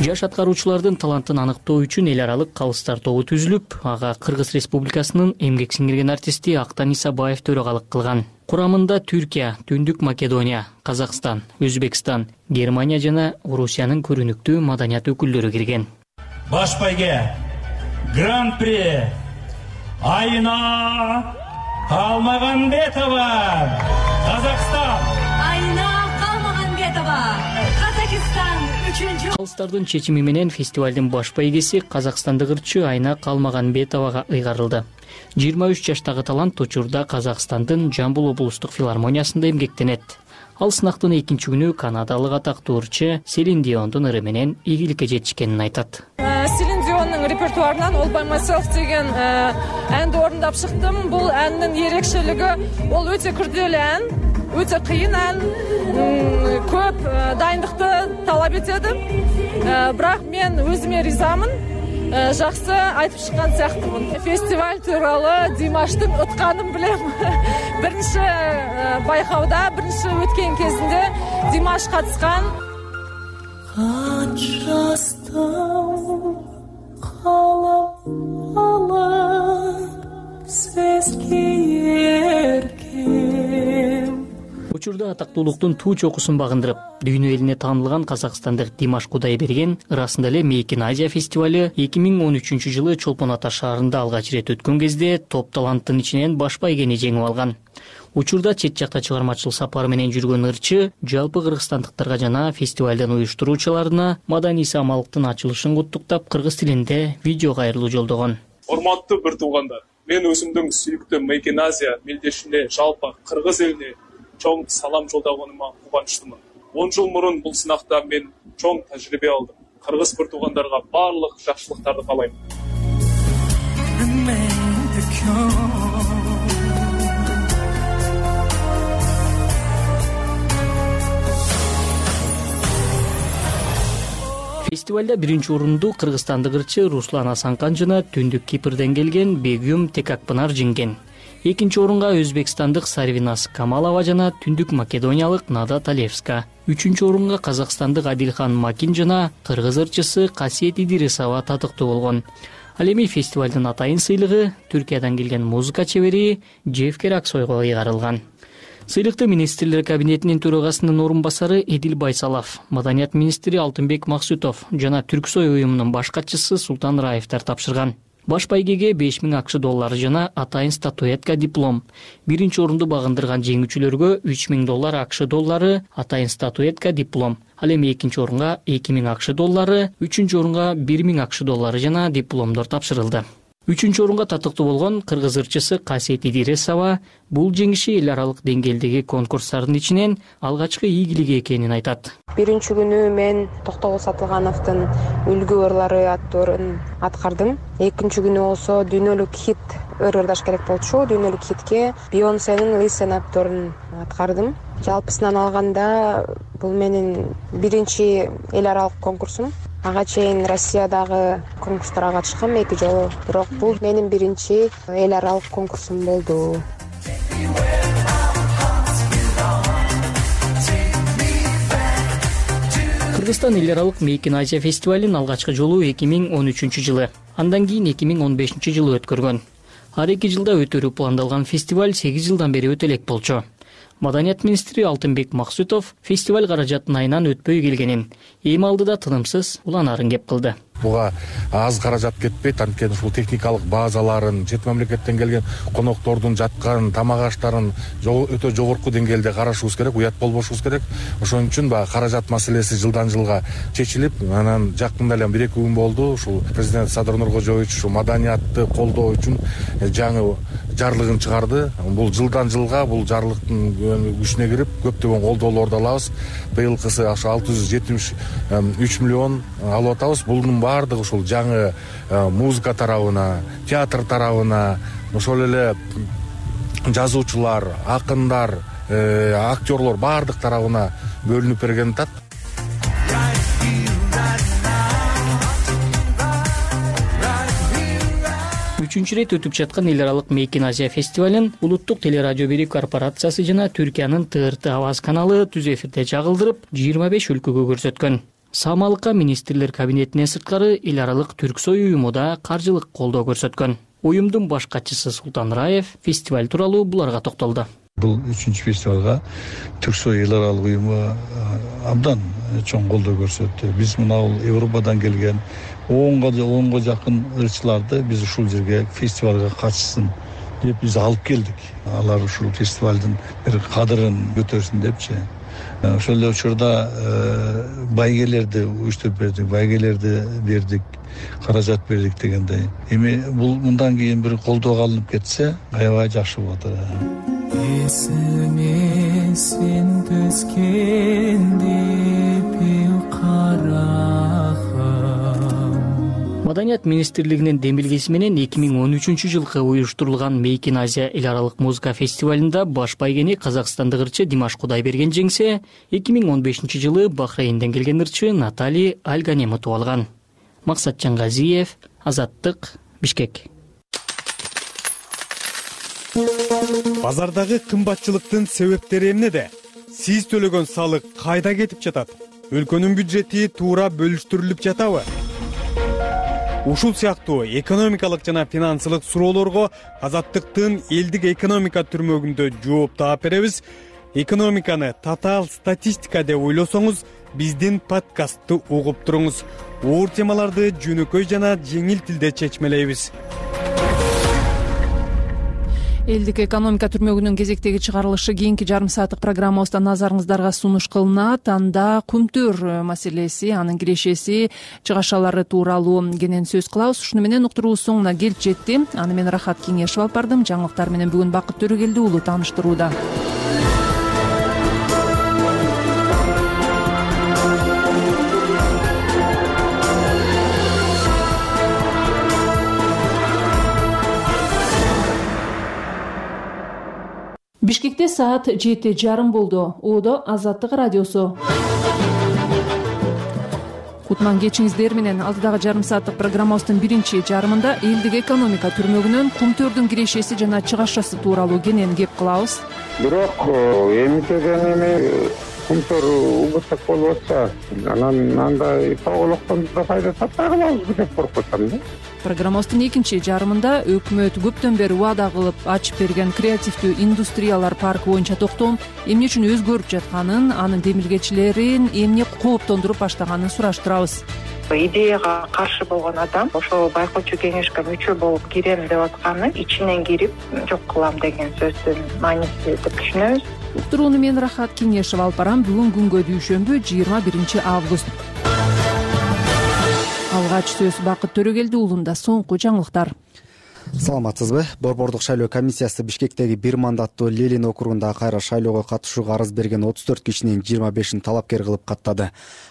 [SPEAKER 18] Жаш аткаруучулардын талантын аныктоо үчүн эл аралык калыстар тобу түзүлүп, ага Кыргыз Республикасынын эмгек сиңирген артисти Актан Исабаев төрагалык кылган. Курамында Түркия, Түндүк Македония, Казакстан, Өзбекстан, Германия жана Орусиянын көрүнүктүү маданият өкүлдөрү кирген.
[SPEAKER 19] Баш байге Гран-при Айна Калмаганбетова, Казакстан.
[SPEAKER 20] Айна Калмаганбетова, Казакстан.
[SPEAKER 18] Калыстардын чечими менен фестивалдын баш байгеси казакстандык ырчы Айна Калмаганбетовага ыйгарылды. жыйырма үч жаштагы талант учурда Казакстандын Жамбыл облустук филармониясында эмгектенет. Ал сынактын экинчи күнү канадалык атактуу ырчы Селин Диондун ыры менен ийгиликке жетишкенин айтат.
[SPEAKER 21] Селин Диондун репертуарынан All by Myself деген әнди орундап чыктым. Бул әндин ерекшелиги ол өтө күрделүү ән, өтө кыйын ән, көп дайындыкты талап этеді. Бирок мен өзүмө ризамын. Жакшы айтып чыккан сыяктымын. Фестиваль тууралуу Димаштын утканын билем. Биринчи байкауда, биринчи өткөн кезинде Димаш катышкан. Канчастан калап алып сезге эркем.
[SPEAKER 18] Учурда атактуулуктун туу чокусун багындырып, дүйнө элине таанылган казакстандык Димаш Кудайберген ырасында эле Мейкин Азия фестивали эки миң он үчүнчү жылы Чолпон Ата шаарында алгач ирет өткөн кезде топ таланттын ичинен баш байгени жеңип алган. Учурда чет жакта чыгармачылык сапары менен жүргөн ырчы жалпы кыргызстандыктарга жана фестивалдын уюштуруучуларына маданий самалыктын ачылышын куттуктап кыргыз тилинде видео кайрылуу жолдогон.
[SPEAKER 1] Урматтуу бир туугандар, мен өзүмдүн сүйүктүү Мейкин Азия мелдешине жалпы кыргыз элине чоң салам жолдогонума кубанычтымын. он жыл мурун бул сынакта мен чоң тажрыйба алдым. Кыргыз бир туугандарга баардык жакшылыктарды каалайм.
[SPEAKER 18] Фестивалда биринчи орунду кыргызстандык ырчы Руслан Асанкан жана Түндүк Кипрден келген Бегюм Текакпынар жеңген. Экинчи орунга өзбекстандык Сарвинас Камалова жана Түндүк Македониялык Нада Талевска. Үчүнчү орунга казакстандык Адилхан Макин жана кыргыз ырчысы Касиет Идирисова татыктуу болгон. Ал эми фестивалдын атайын сыйлыгы Түркиядан келген музыка чебери Жевкер Аксойго ыйгарылган. Сыйлыкты министрлер кабинетинин төрагасынын орун басары Эдил Байсалов, маданият министри Алтынбек Максутов жана Түрксой уюмунун баш катчысы Султан Раевтер тапшырган. Баш байгеге беш миң акш доллары жана атайын статуэтка диплом. Биринчи орунду багындырган жеңүүчүлөргө үч миң доллар акш доллары, атайын статуэтка диплом. Ал эми экинчи орунга эки миң акш доллары, үчүнчү орунга бир миң акш доллары жана дипломдор тапшырылды. Үчүнчү орунга татыктуу болгон кыргыз ырчысы Касиет Идирисова бул жеңиши эл аралык деңгээлдеги конкурстардын ичинен алгачкы ийгилиги экенин айтат.
[SPEAKER 22] Биринчи күнү мен Токтогул Сатылгановдун Үлгү ырлары аттуу өрүн аткардым. Экинчи күнү болсо дүйнөлүк хит ыр ырдаш керек болчу. Дүйнөлүк хитке Бейонсенин Listen Up өрүн аткардым. Жалпысынан алганда бул менин биринчи эл аралык конкурсум. Ага чейин Россиядагы конкурстарга катышкам эки жолу, бирок бул менин биринчи эл аралык конкурсум болду.
[SPEAKER 18] Кыргызстан эл аралык Мейкин Азия фестивалын алгачкы жолу эки миң он үчүнчү жылы, андан кийин эки миң он бешинчи жылы өткөргөн. Ар эки жылда өтөрү пландалган фестиваль сегиз жылдан бери өтө элек болчу. Маданият министри Алтынбек Максутов фестиваль каражатын айынан өтпөй келгенин, эми алдыда тынымсыз уланаарын кеп кылды.
[SPEAKER 23] Буга аз каражат кетпейт, анткени ушул техникалык базаларын, чет мамлекеттен келген коноктордун жаткан тамак аштарын өтө жогорку деңгээлде карашыбыз керек, уят болбошубуз керек. Ошон үчүн баягы каражат маселеси жылдан жылга чечилип, анан жакында эле бир эки күн болду, ушул президент Садыр Нуркожоевич ушул маданиятты колдоо үчүн жаңы жарлыгын чыгарды. Бул жылдан жылга бул жарлыктын күчүнө кирип, көптөгөн колдоолорду алабыз. Быйылкысы ошо алты жүз жетимиш үч миллион алып атабыз. Булдун баардыгы ушул жаңы музыка тарабына, театр тарабына, ошол эле жазуучулар, акындар, актерлор баардык тарабына бөлүнүп берген атат.
[SPEAKER 18] Үчүнчү рет өтүп жаткан эл аралык Мейкин Азия фестивалын Улуттук телерадио бири корпорациясы жана Түркиянын Т Р Т Аваз каналы түз эфирде чагылдырып, жыйырма беш өлкөгө көрсөткөн. Самалыкка министрлер кабинетинен сырткары эл аралык Түрксой уюму да каржылык колдоо көрсөткөн. Уюмдун баш катчысы Султан Раев фестиваль тууралуу буларга токтолду.
[SPEAKER 24] Бул үчүнчү фестивалга Түрксой эл аралык уюму абдан чоң колдоо көрсөттү. Биз мына Европадан келген онго жакын ырчыларды биз ушул жерге фестивалга катышсын деп биз алып келдик. Алар ушул фестивалдын бир кадырын көтөрсүн депчи. Ошол эле учурда байгелерди уюштуруп бердик, байгелерди бердик, каражат бердик дегендей. Эми бул мындан кийин бир колдоого алынып кетсе, аябай жакшы болот.
[SPEAKER 25] Эсиме сен түскенде
[SPEAKER 18] Маданият министрлигинин демилгеси менен эки миң он үчүнчү жылкы уюштурулган Мейкин Азия эл аралык музыка фестивалында баш байгени казакстандык ырчы Димаш Кудайберген жеңсе, эки миң он бешинчи жылы Бахрейнден келген ырчы Натали Алганем утуп алган. Максатжан Газиев, Азаттык, Бишкек.
[SPEAKER 26] Базардагы кымбатчылыктын себептери эмнеде? Сиз төлөгөн салык кайда кетип жатат? Өлкөнүн бюджети туура бөлүштүрүлүп жатабы? Ушул сыяктуу экономикалык жана финансылык суроолорго Азаттыктын элдик экономика түрмөгүндө жооп таап беребиз. Экономиканы татаал статистика деп ойлосоңуз, биздин подкастты угуп туруңуз. Оор темаларды жөнөкөй жана жеңил тилде чечмелейбиз.
[SPEAKER 2] Элдик экономика түрмөгүнүн кезектеги чыгарылышы кийинки жарым сааттык программабызда назарыңыздарга сунуш кылынат. Анда кумтөр маселеси, анын кирешеси, чыгашалары тууралуу кенен сөз кылабыз. Ушуну менен уктуруубуз соңуна келип жетти. Аны мен Рахат Кеңешев алып бардым. Жаңылыктар менен бүгүн Бакыт Төрөгелди уулу тааныштырууда. Бишкекте саат жети жарым болду. Оодо Азаттык радиосу. Кутман кечиңиздер менен алдыдагы жарым сааттык программабыздын биринчи жарымында элдик экономика түрмөгүнөн кумтөрдүн кирешеси жана чыгашасы тууралуу кенен кеп кылабыз.
[SPEAKER 6] Бирок эмитеден эми кумтөр убуттак болуп атса, анан андай тоголоктон да пайда таппай калабызбы деп коркуп атам да.
[SPEAKER 2] Программабыздын экинчи жарымында өкмөт көптөн бери убада кылып ачып берген креативдүү индустриялар паркы боюнча токтолуп, эмне үчүн өзгөрүп жатканын, анын демилгечилерин эмне кооптондуруп баштаганын сураштырабыз.
[SPEAKER 7] Идеяга каршы болгон адам ошол байкоочу кеңешке мүчө болуп кирем деп атканы ичинен кирип жок кылам деген сөздүн мааниси деп түшүнөбүз.
[SPEAKER 2] Уктурууну мен Рахат Кеңешев алып барам. Бүгүн күнгө дүйшөмбү жыйырма биринчи август. Алгач сөз Бакыт Төрөгелди уулунда. Соңку жаңылыктар.
[SPEAKER 8] Саламатсызбы? Борбордук шайлоо комиссиясы Бишкектеги бир мандаттуу Ленин округунда кайра шайлоого катышууга арыз берген отуз төрт кишинин жыйырма бешин талапкер кылып каттады.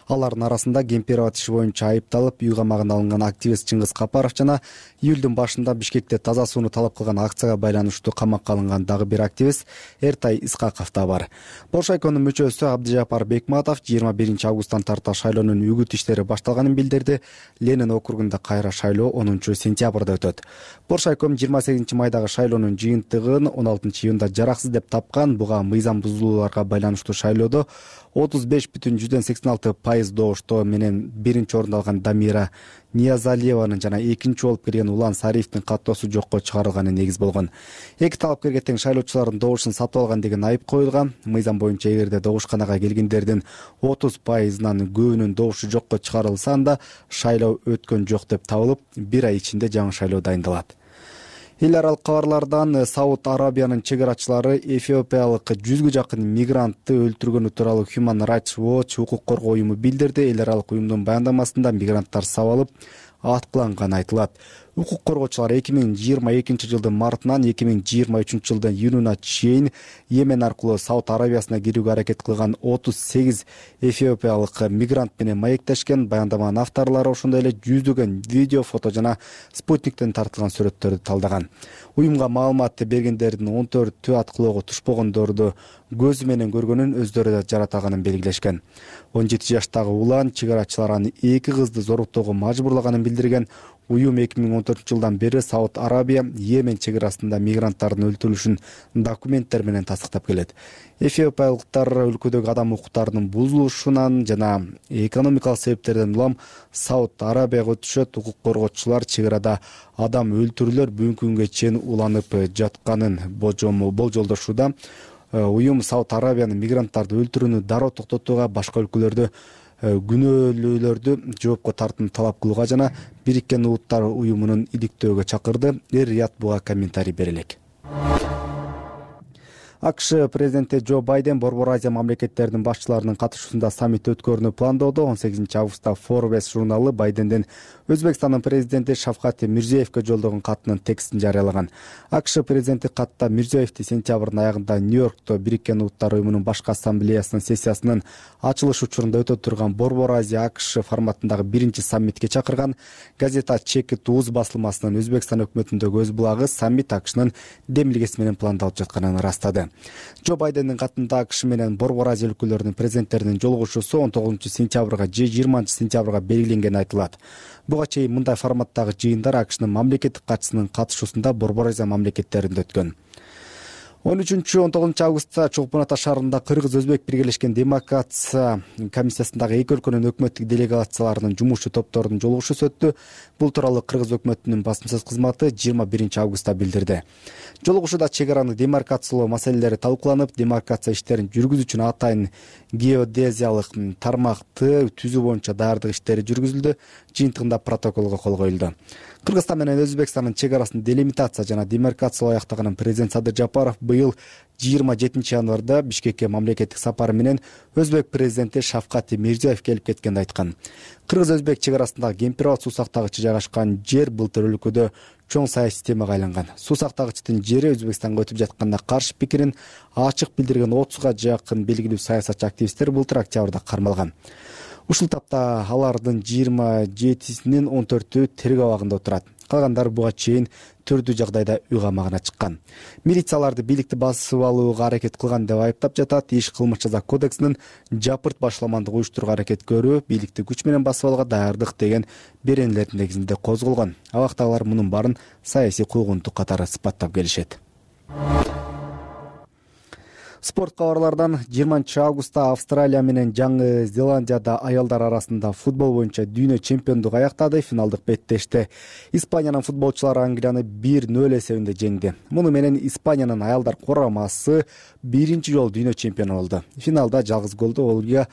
[SPEAKER 8] Алардын арасында Кемперова иши боюнча айыпталып, үй камагына алынган активист Чыңгыз Капаров жана июлдун башында Бишкекте таза сууну талап кылган акцияга байланыштуу камакка алынган дагы бир активист Эртай Искаков да бар. Боршайконун мүчөсү Абдыжапар Бекматов жыйырма биринчи августтан тарта шайлоонун үгүт иштери башталганын билдирди. Ленин округунда кайра шайлоо онунчу сентябрда өтөт. Боршайком жыйырма сегизинчи майдагы шайлоонун жыйынтыгын он алтынчы июнда жараксыз деп тапкан. Буга мыйзам бузулууларга байланыштуу шайлоодо отуз беш бүтүн жүздөн сексен алты пайыз добуштоо менен биринчи орунду алган Дамира Ниязалиеванын жана экинчи болуп келген Улан Сариевдин каттоосу жокко чыгарылганы негиз болгон. Эки талапкерге тең шайлоочулардын добушун сатып алган деген айып коюлган. Мыйзам боюнча эгерде добушканага келгендердин отуз пайызынан көбүнүн добушу жокко чыгарылса, анда шайлоо өткөн жок деп табылып, бир ай ичинде жаңы шайлоо дайындалат. Эл аралык кабарлардан Сауд Арабиянын чек арачылары эфиопиялык жүзгө жакын мигрантты өлтүргөнү тууралуу Human Rights Watch укук коргоо уюму билдирди. Эл аралык уюмдун баяндамасында мигранттар сабалып аткыланганы айтылат. Укук коргоочулар эки миң жыйырма экинчи жылдын мартынан эки миң жыйырма үчүнчү жылдын июнуна чейин Йемен аркылуу Сауд Арабиясына кирүүгө аракет кылган отуз сегиз эфиопиялык мигрант менен маектешкен. Баяндаманын авторлору ошондой эле жүздөгөн видео, фото жана спутниктен тартылган сүрөттөрдү талдаган. Уюмга маалымат бергендердин он төртү аткылоого тушпогондорду көзү менен көргөнүн, өздөрү да жаратаганын белгилешкен. он жети жаштагы Улан чек арачылар аны эки кызды зоруктоого мажбурлаганын билдирген. Уюм эки миң он төртүнчү жылдан бери Сауд Арабия Йемен чек арасында мигранттардын өлтүрүлүшүн документтер менен тастыктап келет. Эфиопиялыктар өлкөдөгү адам укуктарынын бузулушунан жана экономикалык себептерден улам Сауд Арабияга өтүшөт. Укук коргоочулар чек арада адам өлтүрүүлөр бүгүнкү күнгө чейин уланып жатканын болжолдошууда. Уюм Сауд Арабиянын мигранттарды өлтүрүүнү дароо токтотууга, башка өлкөлөрдө күнөөлүүлөрдү жоопко тартууну талап кылууга жана Бириккен Улуттар уюмунун иликтөөгө чакырды. Эр-Рияд буга комментарий бере элек. АКШ президенти Джо Байден Борбор Азия мамлекеттеринин башчыларынын катышуусунда саммит өткөрүүнү пландоодо. он сегизинчи августта Forbes журналы Байдендин Өзбекстандын президенти Шавкат Мирзиевке жолдогон катынын текстин жарыялаган. АКШ президенти катта Мирзиевди сентябрдын аягында Нью-Йоркто Бириккен Улуттар уюмунун башкы ассамблеясынын сессиясынын ачылыш учурунда өтө турган Борбор Азия АКШ форматындагы биринчи саммитке чакырган. Газета Чеки Туз басылмасынын Өзбекстан өкмөтүндөгү өз булагы саммит АКШнын демилгеси менен пландалып жатканын ырастады. Джо Байдендин катында АКШ менен Борбор Азия өлкөлөрүнүн президенттеринин жолугушуусу он тогузунчу сентябрга же жыйырманчы сентябрга белгиленгени айтылат. Буга чейин мындай форматтагы жыйындар АКШнын мамлекеттик катчысынын катышуусунда Борбор Азия мамлекеттеринде өткөн. он үчүнчү он тогузунчу августта Чолпон Ата шаарында кыргыз-өзбек биргелешкен демократия комиссиясындагы эки өлкөнүн өкмөттүк делегацияларынын жумушчу топторунун жолугушуусу өттү. Бул тууралуу Кыргыз өкмөтүнүн басма сөз кызматы жыйырма биринчи августта билдирди. Жолугушууда чек араны демаркациялоо маселелери талкууланып, демаркация иштерин жүргүзүү үчүн атайын геодезиялык тармакты түзүү боюнча даярдык иштери жүргүзүлдү. Жыйынтыгында протоколго кол коюлду. Кыргызстан менен Өзбекстандын чек арасын делимитация жана демаркациялоо аяктаган президент Садыр Жапаров быйыл жыйырма жетинчи январда Бишкекке мамлекеттик сапары менен Өзбек президенти Шавкат Мирзиёев келип кеткенди айткан. Кыргыз-Өзбек чек арасындагы Кемпир-Абад суу сактагычы жайгашкан жер былтыр өлкөдө чоң саясий темага айланган. Суу сактагычтын жери Өзбекстанга өтүп жатканына каршы пикирин ачык билдирген отузга жакын белгилүү саясатчы активисттер былтыр октябрда кармалган. Ушул тапта алардын жыйырма жетисинин он төртү терг абагында отурат. Калгандары буга чейин түрдүү жагдайда үй камагына чыккан. Милицияларды бийликти басып алууга аракет кылган деп айыптап жатат. Иш кылмыш жаза кодексинин жапырт башламандык уюштурууга аракет көрүү, бийликти күч менен басып алууга даярдык деген беренелердин негизинде козголгон. Абактагылар мунун баарын саясий куугунтук катары сыпаттап келишет. Спорт кабарлардан жыйырманчы августта Австралия менен Жаңы Зеландияда аялдар арасында футбол боюнча дүйнө чемпиондугу аяктады. Финалдык беттеште Испаниянын футболчулары Англияны бир нөл эсебинде жеңди. Муну менен Испаниянын аялдар курамасы биринчи жолу дүйнө чемпиону болду. Финалда жалгыз голду Ольга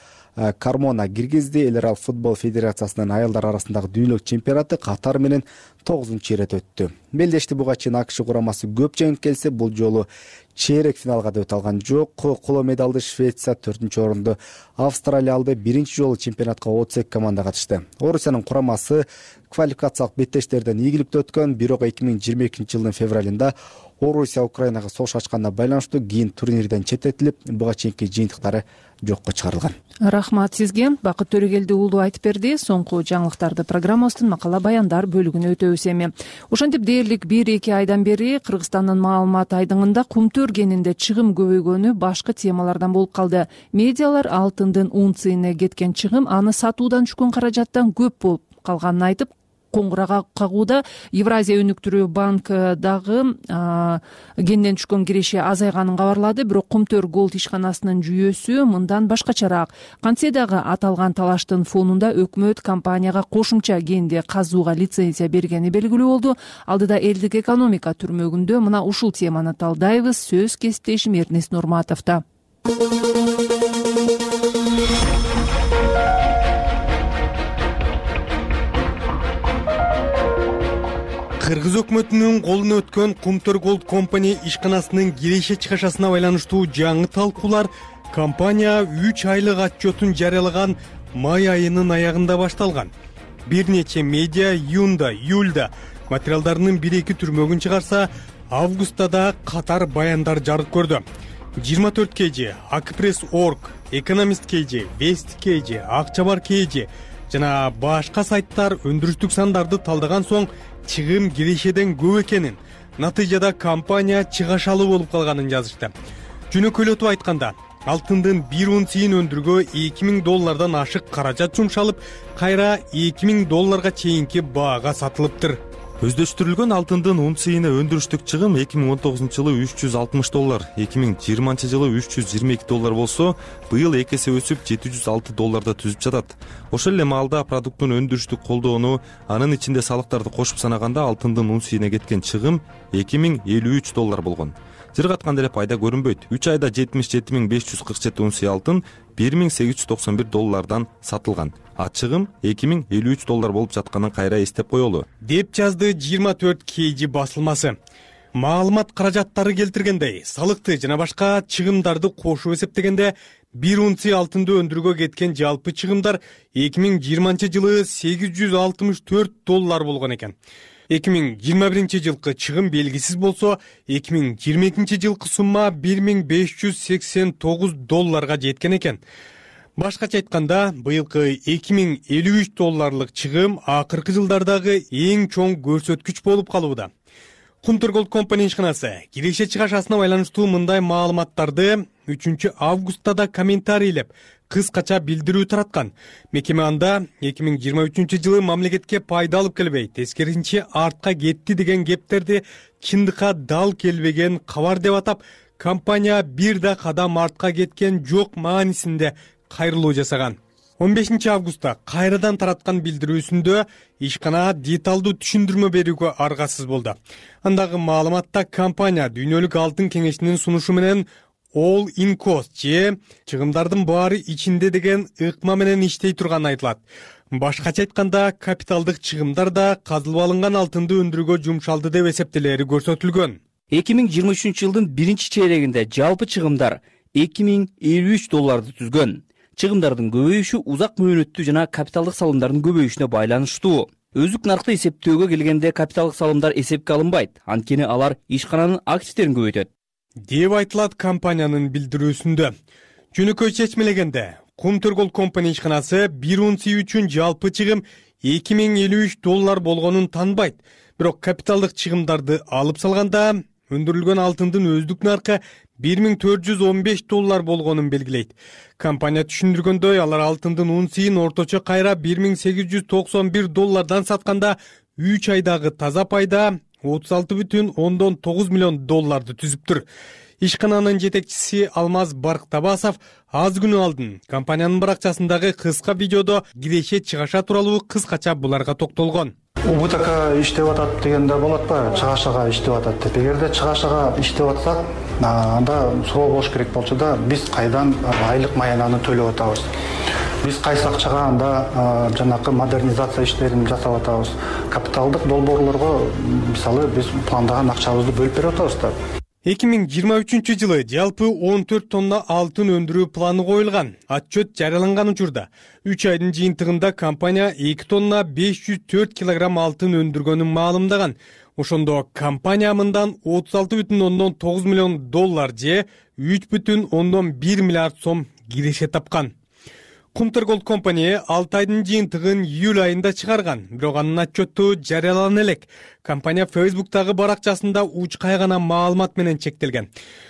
[SPEAKER 8] Кармона киргизди. Эл аралык футбол федерациясынын аялдар арасындагы дүйнөлүк чемпионаты Катар менен тогузунчу ирет өттү. Белдешти буга чейин АКШ курамасы көп жеңип келсе, бул жолу чейрек финалга да өтө алган жок. Коло медалды Швеция, төртүнчү орунду Австралия алды. Биринчи жолу чемпионатка отуз эки команда катышты. Орусиянын курамасы квалификациялык беттештерден ийгиликтүү өткөн, бирок эки миң жыйырма экинчи жылдын февралында Орусия Украинага согуш ачканына байланыштуу кийин турнирден четтетилип, буга чейинки жыйынтыктары жокко чыгарылган.
[SPEAKER 2] Рахмат сизге. Бакыт Төрөгелди уулу айтып берди. Соңку жаңылыктарды программабыздын макала баяндар бөлүгүнө өтөбүз эми. Ошентип дээрлик бир эки айдан бери Кыргызстандын маалымат айдыңында кумтөр кенинде чыгым көбөйгөнү башкы темалардан болуп калды. Медиалар алтындын унциясына кеткен чыгым аны сатуудан түшкөн каражаттан көп болуп калганын айтып, коңгурак кагууда Евразия өнүктүрүү банк дагы кенден түшкөн киреше азайганын кабарлады. Бирок Кумтөр Голд ишканасынын жүйөсү мындан башкачараак. Кантсе дагы аталган талаштын фонунда өкмөт компанияга кошумча кенди казууга лицензия бергени белгилүү болду. Алдыда элдик экономика түрмөгүндө мына ушул теманы талдайбыз. Сөз кесиптешим Эрнест Нурматовдо.
[SPEAKER 26] Кыргыз өкмөтүнүн колуна өткөн Кумтөр Голд компания ишканасынын киреше чыгашасына байланыштуу жаңы талкуулар компания үч айлык отчетун жарыялаган май айынын аягында башталган. Бир нече медиа июнда, июльда материалдарынын бир эки түрмөгүн чыгарса, августта да катар баяндар жарык көрдү. жыйырма төрт кей жи, Акпресс точка орг, Экономист кей жи, Вест кей жи, Акчабар кей жи жана башка сайттар өндүрүштүк сандарды талдаган соң чыгым кирешеден көп экенин, натыйжада компания чыгашалуу болуп калганын жазышты. Жөнөкөйлөтүп айтканда, алтындын бир унциясын өндүрүүгө эки миң доллардан ашык каражат жумшалып, кайра эки миң долларга чейинки баага сатылыптыр.
[SPEAKER 3] Өздөштүрүлгөн алтындын унциясына өндүрүштүк чыгым эки миң он тогузунчу жылы үч жүз алтымыш доллар, эки миң жыйырманчы жылы үч жүз жыйырма эки доллар болсо, быйыл эки эсе өсүп жети жүз алты долларда түзүп жатат. Ошол эле маалда продукттун өндүрүштүк колдоону, анын ичинде салыктарды кошуп санаганда алтындын унциясына кеткен чыгым эки миң элүү үч доллар болгон. Жыргаткан деле пайда көрүнбөйт. үч айда жетимиш жети миң беш жүз кырк жети унция алтын бир миң сегиз жүз токсон бир доллардан сатылган. А чыгым эки миң элүү үч доллар болуп жатканын кайра эстеп коелу.
[SPEAKER 26] Деп жазды жыйырма төрт кей жи басылмасы. Маалымат каражаттары келтиргендей, салыкты жана башка чыгымдарды кошуп эсептегенде бир унция алтынды өндүрүүгө кеткен жалпы чыгымдар эки миң жыйырманчы жылы сегиз жүз алтымыш төрт доллар болгон экен. эки миң жыйырма биринчи жылкы чыгым белгисиз болсо, эки миң жыйырма экинчи жылкы сумма бир миң беш жүз сексен тогуз долларга жеткен экен. Башкача айтканда, быйылкы эки миң элүү үч долларлык чыгым акыркы жылдардагы эң чоң көрсөткүч болуп калууда. Кумтөр Голд компания ишканасы киреше чыгашасына байланыштуу мындай маалыматтарды үчүнчү августта да комментарийлеп, кыскача билдирүү тараткан. Мекеме анда эки миң жыйырма үчүнчү жылы мамлекетке пайда алып келбей, тескерисинче артка кетти деген кептерди чындыкка дал келбеген кабар деп атап, компания бир да кадам артка кеткен жок маанисинде кайрылуу жасаган. он бешинчи августта кайрадан тараткан билдирүүсүндө ишкана деталдуу түшүндүрмө берүүгө аргасыз болду. Андагы маалыматта компания дүйнөлүк алтын кеңешинин сунушу менен All in cost же чыгымдардын баары ичинде деген ыкма менен иштей турганы айтылат. Башкача айтканда, капиталдык чыгымдар да казылып алынган алтынды өндүрүүгө жумшалды деп эсептелери көрсөтүлгөн.
[SPEAKER 4] эки миң жыйырма үчүнчү жылдын биринчи чейрегинде жалпы чыгымдар эки миң элүү үч долларды түзгөн. Чыгымдардын көбөйүшү узак мөөнөттүү жана капиталдык салымдардын көбөйүшүнө байланыштуу. Өзүк наркты эсептөөгө келгенде капиталдык салымдар эсепке алынбайт, анткени алар ишкананын активдерин көбөйтөт,
[SPEAKER 26] деп айтылат компаниянын билдирүүсүндө. Жөнөкөй чечмелегенде, Kumtergold Company ишканасы бир унция үчүн жалпы чыгым эки миң элүү үч доллар болгонун танбайт. Бирок капиталдык чыгымдарды алып салганда, өндүрүлгөн алтындын өздүк наркы бир миң төрт жүз он беш доллар болгонун белгилейт. Компания түшүндүргөндөй, алар алтындын унциясын орточо кайра бир миң сегиз жүз токсон бир доллардан сатканда үч айдагы таза пайда отуз алты бүтүн ондон тогуз миллион долларды түзүптүр. Ишкананын жетекчиси Алмаз Барктабасов аз күнү алдын компаниянын баракчасындагы кыска видеодо киреше чыгаша тууралуу кыскача буларга токтолгон.
[SPEAKER 9] УБТК иштеп атат дегенде болот ба? Чыгашага иштеп атат деп. Эгерде чыгашага иштеп атсак, анда суроо болуш керек болчу да, биз кайдан айлык маянаны төлөп атабыз? Биз кайсы акчага анда жанакы модернизация иштерин жасап атабыз? Капиталдык долбоорлорго мисалы биз пландаган акчабызды бөлүп берип атабыз да.
[SPEAKER 26] эки миң жыйырма үчүнчү жылы жалпы он төрт тонна алтын өндүрүү планы коюлган. Отчет жарыяланган учурда үч айдын жыйынтыгында компания эки тонна беш жүз төрт килограмм алтын өндүргөнүн маалымдаган. Ошондо компания мындан отуз алты бүтүн ондон тогуз миллион доллар же үч бүтүн ондон бир миллиард сом киреше тапкан. Kumtergold Company алты айдын жыйынтыгын июль айында чыгарган, бирок анын отчету жарыялана элек. Компания Facebook'тагы баракчасында учкай гана маалымат менен чектелген.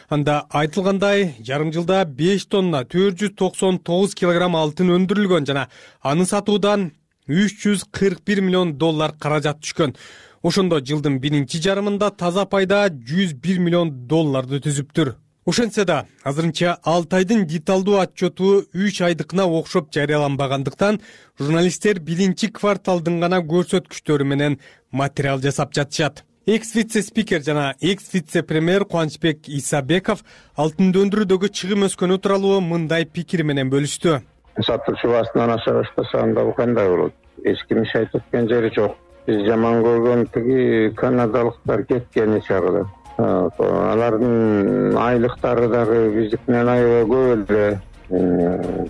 [SPEAKER 26] Анда айтылгандай, жарым жылда беш тонна төрт жүз токсон тогуз килограмм алтын өндүрүлгөн жана аны сатуудан үч жүз кырк бир миллион доллар каражат түшкөн. Ошондо жылдын биринчи жарымында таза пайда жүз бир миллион долларды түзүптүр. Ошентсе да, азырынча алты айдын деталдуу отчету үч айдыкына окшоп жарыяланбагандыктан, журналисттер биринчи кварталдын гана көрсөткүчтөрү менен материал жасап жатышат. Экс-вице-спикер жана экс-вице-премьер Кубанычбек Исабеков алтынды өндүрүүдөгү чыгым өскөнү тууралуу мындай пикир менен бөлүштү.
[SPEAKER 6] Сатуучу баасынан аша баштаса анда бул кандай болот? Эч ким иш айтып өткөн жери жок. Биз жаман көргөн тиги канадалыктар кеткен чагы. Алардын айлыктары дагы биздикинен аябай көп эле.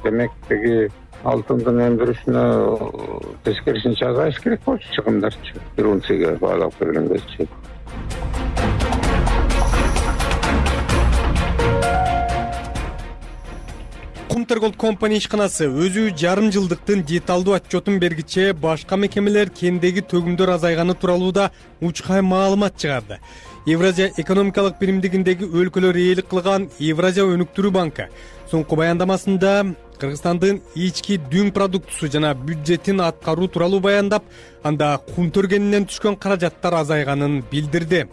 [SPEAKER 6] Демек тиги алтындын өндүрүшүнө тескерисинче азайыш керек болчу чыгымдарчы. бир унцияга баалап келгендечи.
[SPEAKER 26] Kumtergold Company ишканасы өзү жарым жылдыктын деталдуу отчетун бергиче башка мекемелер кендеги төгүмдөр азайганы тууралуу да учкай маалымат чыгарды. Евразия экономикалык биримдигиндеги өлкөлөр ээлик кылган Евразия өнүктүрүү банкы соңку баяндамасында Кыргызстандын ички дүң продуктусу жана бюджетин аткаруу тууралуу баяндап, анда кумтөргенинен түшкөн каражаттар азайганын билдирди.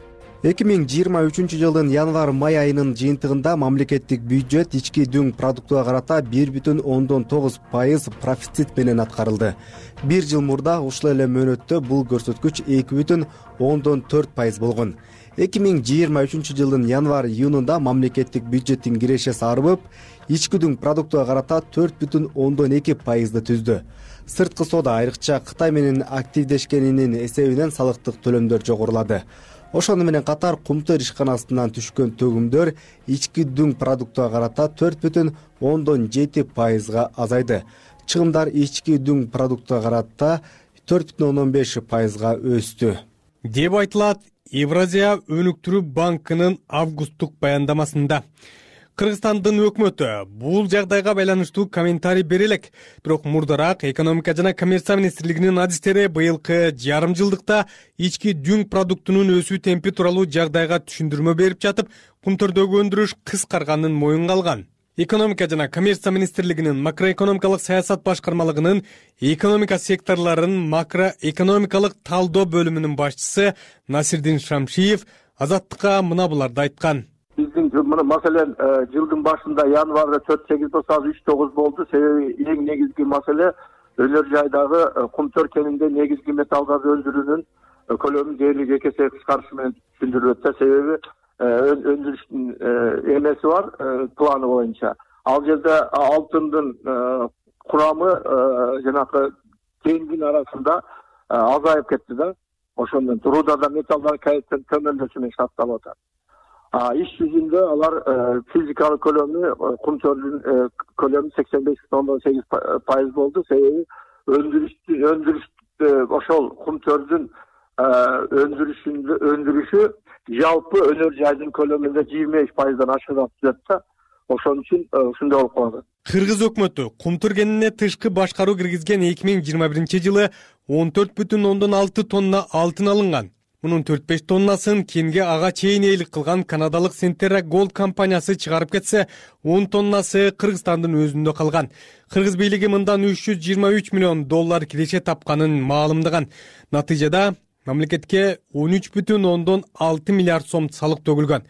[SPEAKER 8] эки миң жыйырма үчүнчү жылдын январь-май айынын жыйынтыгында мамлекеттик бюджет ички дүң продуктуга карата бир бүтүн ондон тогуз пайыз профицит менен аткарылды. Бир жыл мурда ушул эле мөөнөттө бул көрсөткүч эки бүтүн ондон төрт пайыз болгон. эки миң жыйырма үчүнчү жылдын январь-июнунда мамлекеттик бюджеттин кирешеси арбып, ички дүң продуктуга карата төрт бүтүн ондон эки пайызды түздү. Сырткы соода, айрыкча Кытай менен активдешкенинин эсебинен салыктык төлөмдөр жогорулады. Ошону менен катар Кумтөр ишканасынан түшкөн төгүмдөр ички дүң продуктуга карата төрт бүтүн ондон жети пайызга азайды. Чыгымдар ички дүң продуктуга карата төрт бүтүн ондон беш пайызга өстү.
[SPEAKER 26] Деп айтылат Евразия өнүктүрүү банкынын августтук баяндамасында. Кыргызстандын өкмөтү бул жагдайга байланыштуу комментарий бере элек. Бирок мурдараак экономика жана коммерция министрлигинин адистери быйылкы жарым жылдыкта ички дүң продуктунун өсүү темпи тууралуу жагдайга түшүндүрмө берип жатып, кумтөрдөгү өндүрүш кыскарганын моюнга алган. Экономика жана коммерция министрлигинин макроэкономикалык саясат башкармалыгынын экономика секторлорун макроэкономикалык талдоо бөлүмүнүн башчысы Насирдин Шамшиев Азаттыкка мына буларды айткан.
[SPEAKER 10] Биздин маселен жылдын башында январда төрт сегиз тосоз үч тогуз болду. Себеби эң негизги маселе өнөр жайдагы кумтөр кенинде негизги металлдарды өндүрүүнүн көлөмү дээрлик эки эсе кыскарышы менен түшүндүрүлөт. Себеби өндүрүштүн эмеси бар планы боюнча. Ал жерде алтындын курамы жанакы кендин арасында азайып кетти да. Ошондон рудада металлдар кайрадан көмөлдөсү менен сакталып атат. Иш жүзүндө алар физикалык көлөмү кумтөрдүн көлөмү сексен беш бүтүн сегиз пайыз болду. Себеби өндүрүш өндүрүш ошол кумтөрдүн өндүрүшүндө өндүрүшү жалпы өнөр жайдын көлөмүндө жыйырма беш пайыздан ашыгып жатат да. Ошон үчүн ушундай болуп калат.
[SPEAKER 26] Кыргыз өкмөтү кумтөр кенине тышкы башкаруу киргизген эки миң жыйырма биринчи жылы он төрт бүтүн ондон алты тонна алтын алынган. Мунун төрт беш тоннасын кенге ага чейин ээлик кылган канадалык Centerra Gold компаниясы чыгарып кетсе, он тоннасы Кыргызстандын өзүндө калган. Кыргыз бийлиги мындан үч жүз жыйырма үч миллион доллар киреше тапканын маалымдаган. Натыйжада мамлекетке он үч бүтүн ондон алты миллиард сом салык төгүлгөн.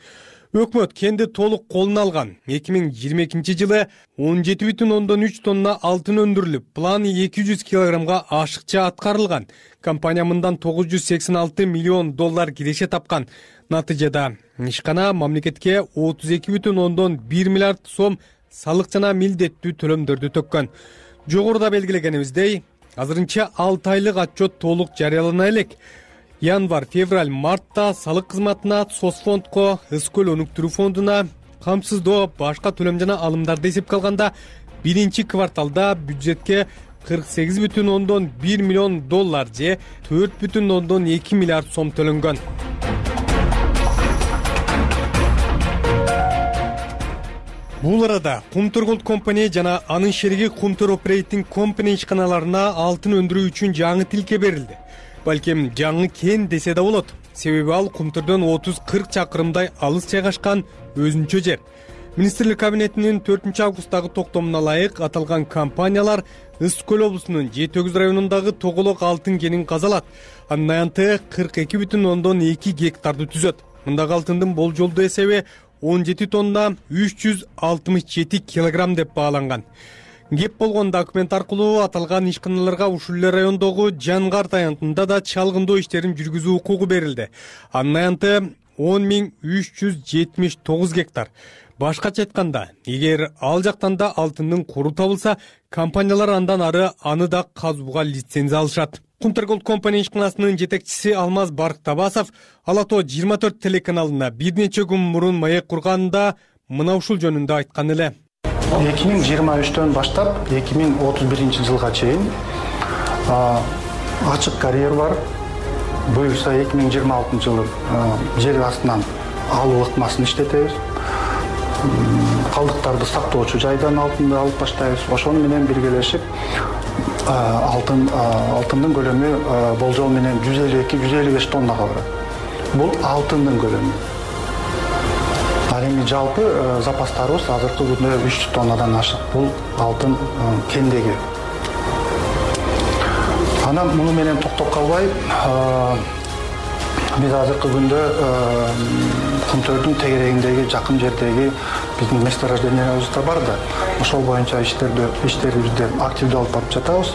[SPEAKER 26] Өкмөт кенди толук колуна алган. эки миң жыйырма экинчи жылы он жети бүтүн ондон үч тонна алтын өндүрүлүп, план эки жүз килограммга ашыкча аткарылган. Компания мындан тогуз жүз сексен алты миллион доллар киреше тапкан. Натыйжада ишкана мамлекетке отуз эки бүтүн ондон бир миллиард сом салык жана милдеттүү төлөмдөрдү төккөн. Жогоруда белгилегенибиздей, азырынча алты айлык отчет толук жарыялана элек. Январь, февраль, мартта салык кызматына, Сосфондко, Ыскөл өнүктүрүү фондуна, камсыздоо, башка төлөм жана алымдарды эсепке алганда биринчи кварталда бюджетке кырк сегиз бүтүн ондон бир миллион доллар же төрт бүтүн ондон эки миллиард сом төлөнгөн. Бул арада Кумтөр Gold Company жана анын шериги Кумтөр Operating Company ишканаларына алтын өндүрүү үчүн жаңы тилке берилди. Балким жаңы кен десе да болот. Себеби ал Кумтөрдөн отуз кырк чакырымдай алыс жайгашкан өзүнчө жер. Министрлик кабинетинин төртүнчү августтагы токтомуна ылайык аталган компаниялар Ыскөл облусунун жети өгүз районундагы Тоголок алтын кенин казалат. Анын аянты кырк эки бүтүн ондон эки гектарды түзөт. Мындагы алтындын болжолдуу эсеби он жети тонна үч жүз алтымыш жети килограмм деп бааланган. Кеп болгон документ аркылуу аталган ишканаларга ушул эле райондогу Жангарт аянтында да чалгындоо иштерин жүргүзүү укугу берилди. Анын аянты он миң үч жүз жетимиш тогуз гектар. Башкача айтканда, эгер ал жактан да алтындын куру табылса, компаниялар андан ары аны да казууга лицензия алышат. Кумтөр Gold Company ишканасынын жетекчиси Алмаз Барктабасов Ала Тоо жыйырма төрт телеканалына бир нече күн мурун маек курганда мына ушул жөнүндө айткан эле.
[SPEAKER 9] эки миң жыйырма үчтөн баштап эки миң отуз биринчи жылга чейин ачык карьер бар. Буюрса эки миң жыйырма алтынчы жылы жер астынан алуу ыкмасын иштетебиз. Калдыктарды сактоочу жайдан алтынды алып баштайбыз. Ошону менен биргелешип алтын алтындын көлөмү болжол менен жүз элүү эки жүз элүү беш тоннага барат. Бул алтындын көлөмү. Ал эми жалпы запастарыбыз азыркы күндө үч жүз тоннадан ашык. Бул алтын кендеги. Анан муну менен токтоп калбай, биз азыркы күндө Кумтөрдүн тегерегиндеги жакын жердеги биздин месторождениябыз да бар да. Ошол боюнча иштерди иштерибизди активдүү алып барып жатабыз.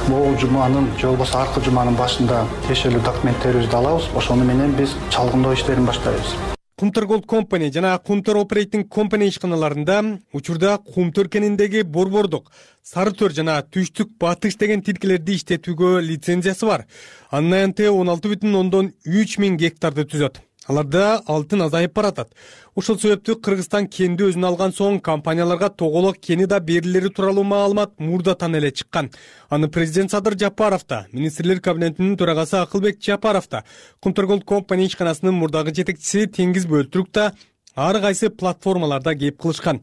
[SPEAKER 9] Бул жуманын же болбосо аркы жуманын башында тиешелүү документтерибизди алабыз. Ошону менен биз чалгындоо иштерин баштайбыз.
[SPEAKER 26] Кумтөр Gold Company жана Кумтөр Operating Company ишканаларында учурда Кумтөр кениндеги борбордук, сары төр жана түштүк батыш деген тилкелерди иштетүүгө лицензиясы бар. Анын аянты он алты бүтүн ондон үч миң гектарды түзөт. Аларда алтын азайып баратат. Ошол себептүү Кыргызстан кенди өзүнө алган соң компанияларга Тоголок кени да берилери тууралуу маалымат мурдатан эле чыккан. Аны президент Садыр Жапаров да, министрлер кабинетинин төрагасы Акылбек Жапаров да, Кумтөр Gold Company ишканасынын мурдагы жетекчиси Теңиз Бөлтүрүк да ар кайсы платформаларда кеп кылышкан.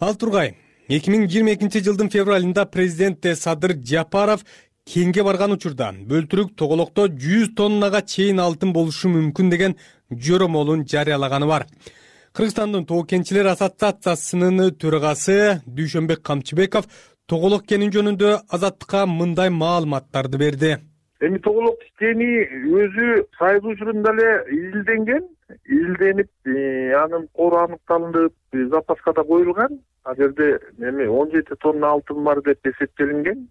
[SPEAKER 26] Ал тургай, эки миң жыйырма экинчи жылдын февралында президент Садыр Жапаров кенге барган учурда Бөлтүрүк Тоголокто жүз тоннага чейин алтын болушу мүмкүн деген жөрөмөлүн жарыялаганы бар. Кыргызстандын Тоо кенчилер ассоциациясынын төрагасы Дүйшөнбек Камчыбеков Тоголок кени жөнүндө Азаттыкка мындай маалыматтарды берди.
[SPEAKER 11] Эми Тоголок кени өзү сайыл учурунда эле изилденген. илденип анын кору аныкталынып запаска да коюлган. Ал жерде эми он жети тонна алтын бар деп эсептелинген.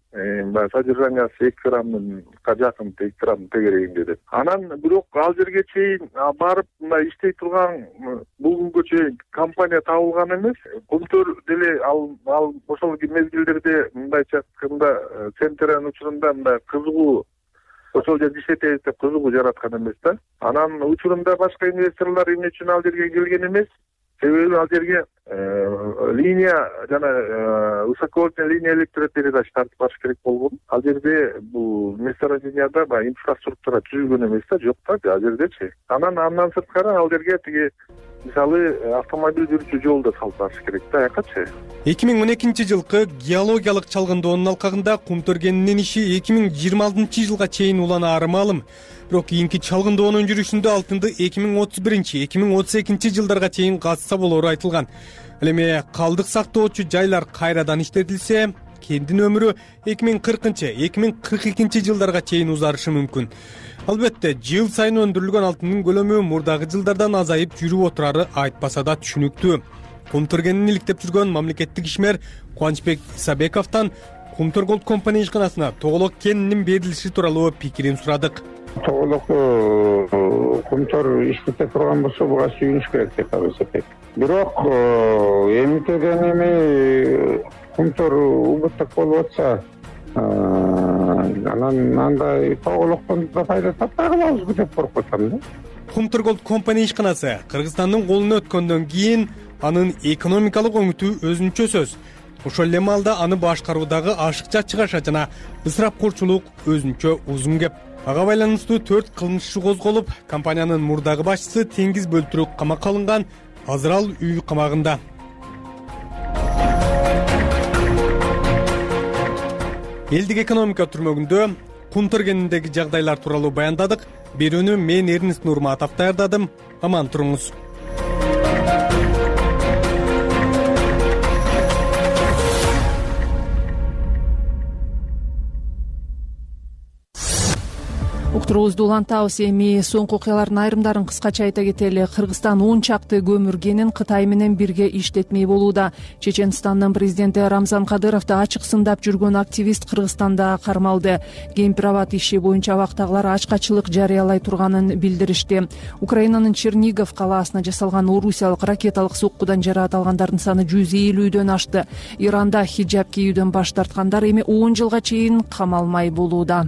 [SPEAKER 11] Баягы содержаниясы эки граммга жакын, эки грамм тегерегинде деп. Анан бирок ал жерге чейин барып мындай иштей турган бул күнгө чейин компания табылган эмес. Көмтөр деле ал ал ошол мезгилдерде мындайча айтканда центрдин учурунда мындай кызыгуу ошол жерде иштетебиз деп кызыгуу жараткан эмес да. Анан учурунда башка инвесторлор эмне үчүн ал жерге келген эмес? Себеби ал жерге линия жана высоковольтный линия электропередач тартып барыш керек болгон. Ал жерде бул месторожденияда баягы инфраструктура түзүлгөн эмес да, жок да ал жердечи. Анан андан сырткары ал жерге тиги мисалы автомобиль жүрүүчү жол да салып барыш керек да, аякачы.
[SPEAKER 26] эки миң он экинчи жылкы геологиялык чалгындоонун алкагында Кумтөргенинин иши эки миң жыйырма алтынчы жылга чейин уланаары маалым. Бирок кийинки чалгындоонун жүрүшүндө алтынды эки миң отуз биринчи эки миң отуз экинчи жылдарга чейин казса болору айтылган. Ал эми калдык сактоочу жайлар кайрадан иштетилсе, кендин өмүрү эки миң кыркынчы эки миң кырк экинчи жылдарга чейин узарышы мүмкүн. Албетте, жыл сайын өндүрүлгөн алтындын көлөмү мурдагы жылдардан азайып жүрүп отурары айтпаса да түшүнүктүү. Кумтөргенин иликтеп жүргөн мамлекеттик ишмер Кубанычбек Исабековдон Кумтөр Голд компания ишканасына тоголок кенинин берилиши тууралуу пикирин сурадык.
[SPEAKER 6] Тоголок Кумтөр иштете турган болсо буга сүйүнүш керек деп эсептейт. Бирок эмитеден эми Кумтөр убуттук болуп атса, анан андай тоголоктон да пайда таппай калабызбы деп коркуп атам да.
[SPEAKER 26] Кумтөр Голд компания ишканасы Кыргызстандын колуна өткөндөн кийин анын экономикалык оңутуу өзүнчө сөз. Ошол эле маалда аны башкаруудагы ашыкча чыгаша жана ысырапкорчулук өзүнчө узун кеп. Ага байланыштуу төрт кылмыш иши козголуп, компаниянын мурдагы башчысы Теңиз Бөлтүрүк камакка алынган, азыр ал үй камагында. Элдик экономика түрмөгүндө Кумтөргениндеги жагдайлар тууралуу баяндадык. Берүүнү мен Эрнест Нурматов даярдадым. Аман туруңуз.
[SPEAKER 2] Уктуруубузду улантабыз. Эми соңку окуялардын айрымдарын кыскача айта кетели. Кыргызстан он чакты көмүр кенин Кытай менен бирге иштетмей болууда. Чеченстандын президенти Рамзан Кадыровду ачык сындап жүргөн активист Кыргызстанда кармалды. Гемпирабад иши боюнча абактагылар ачкачылык жарыялай турганын билдиришти. Украинанын Чернигов калаасына жасалган орусиялык ракеталык соккудан жараат алгандардын саны жүз элүүдөн ашты. Иранда хиджаб кийүүдөн баш тарткандар эми он жылга чейин камалмай болууда.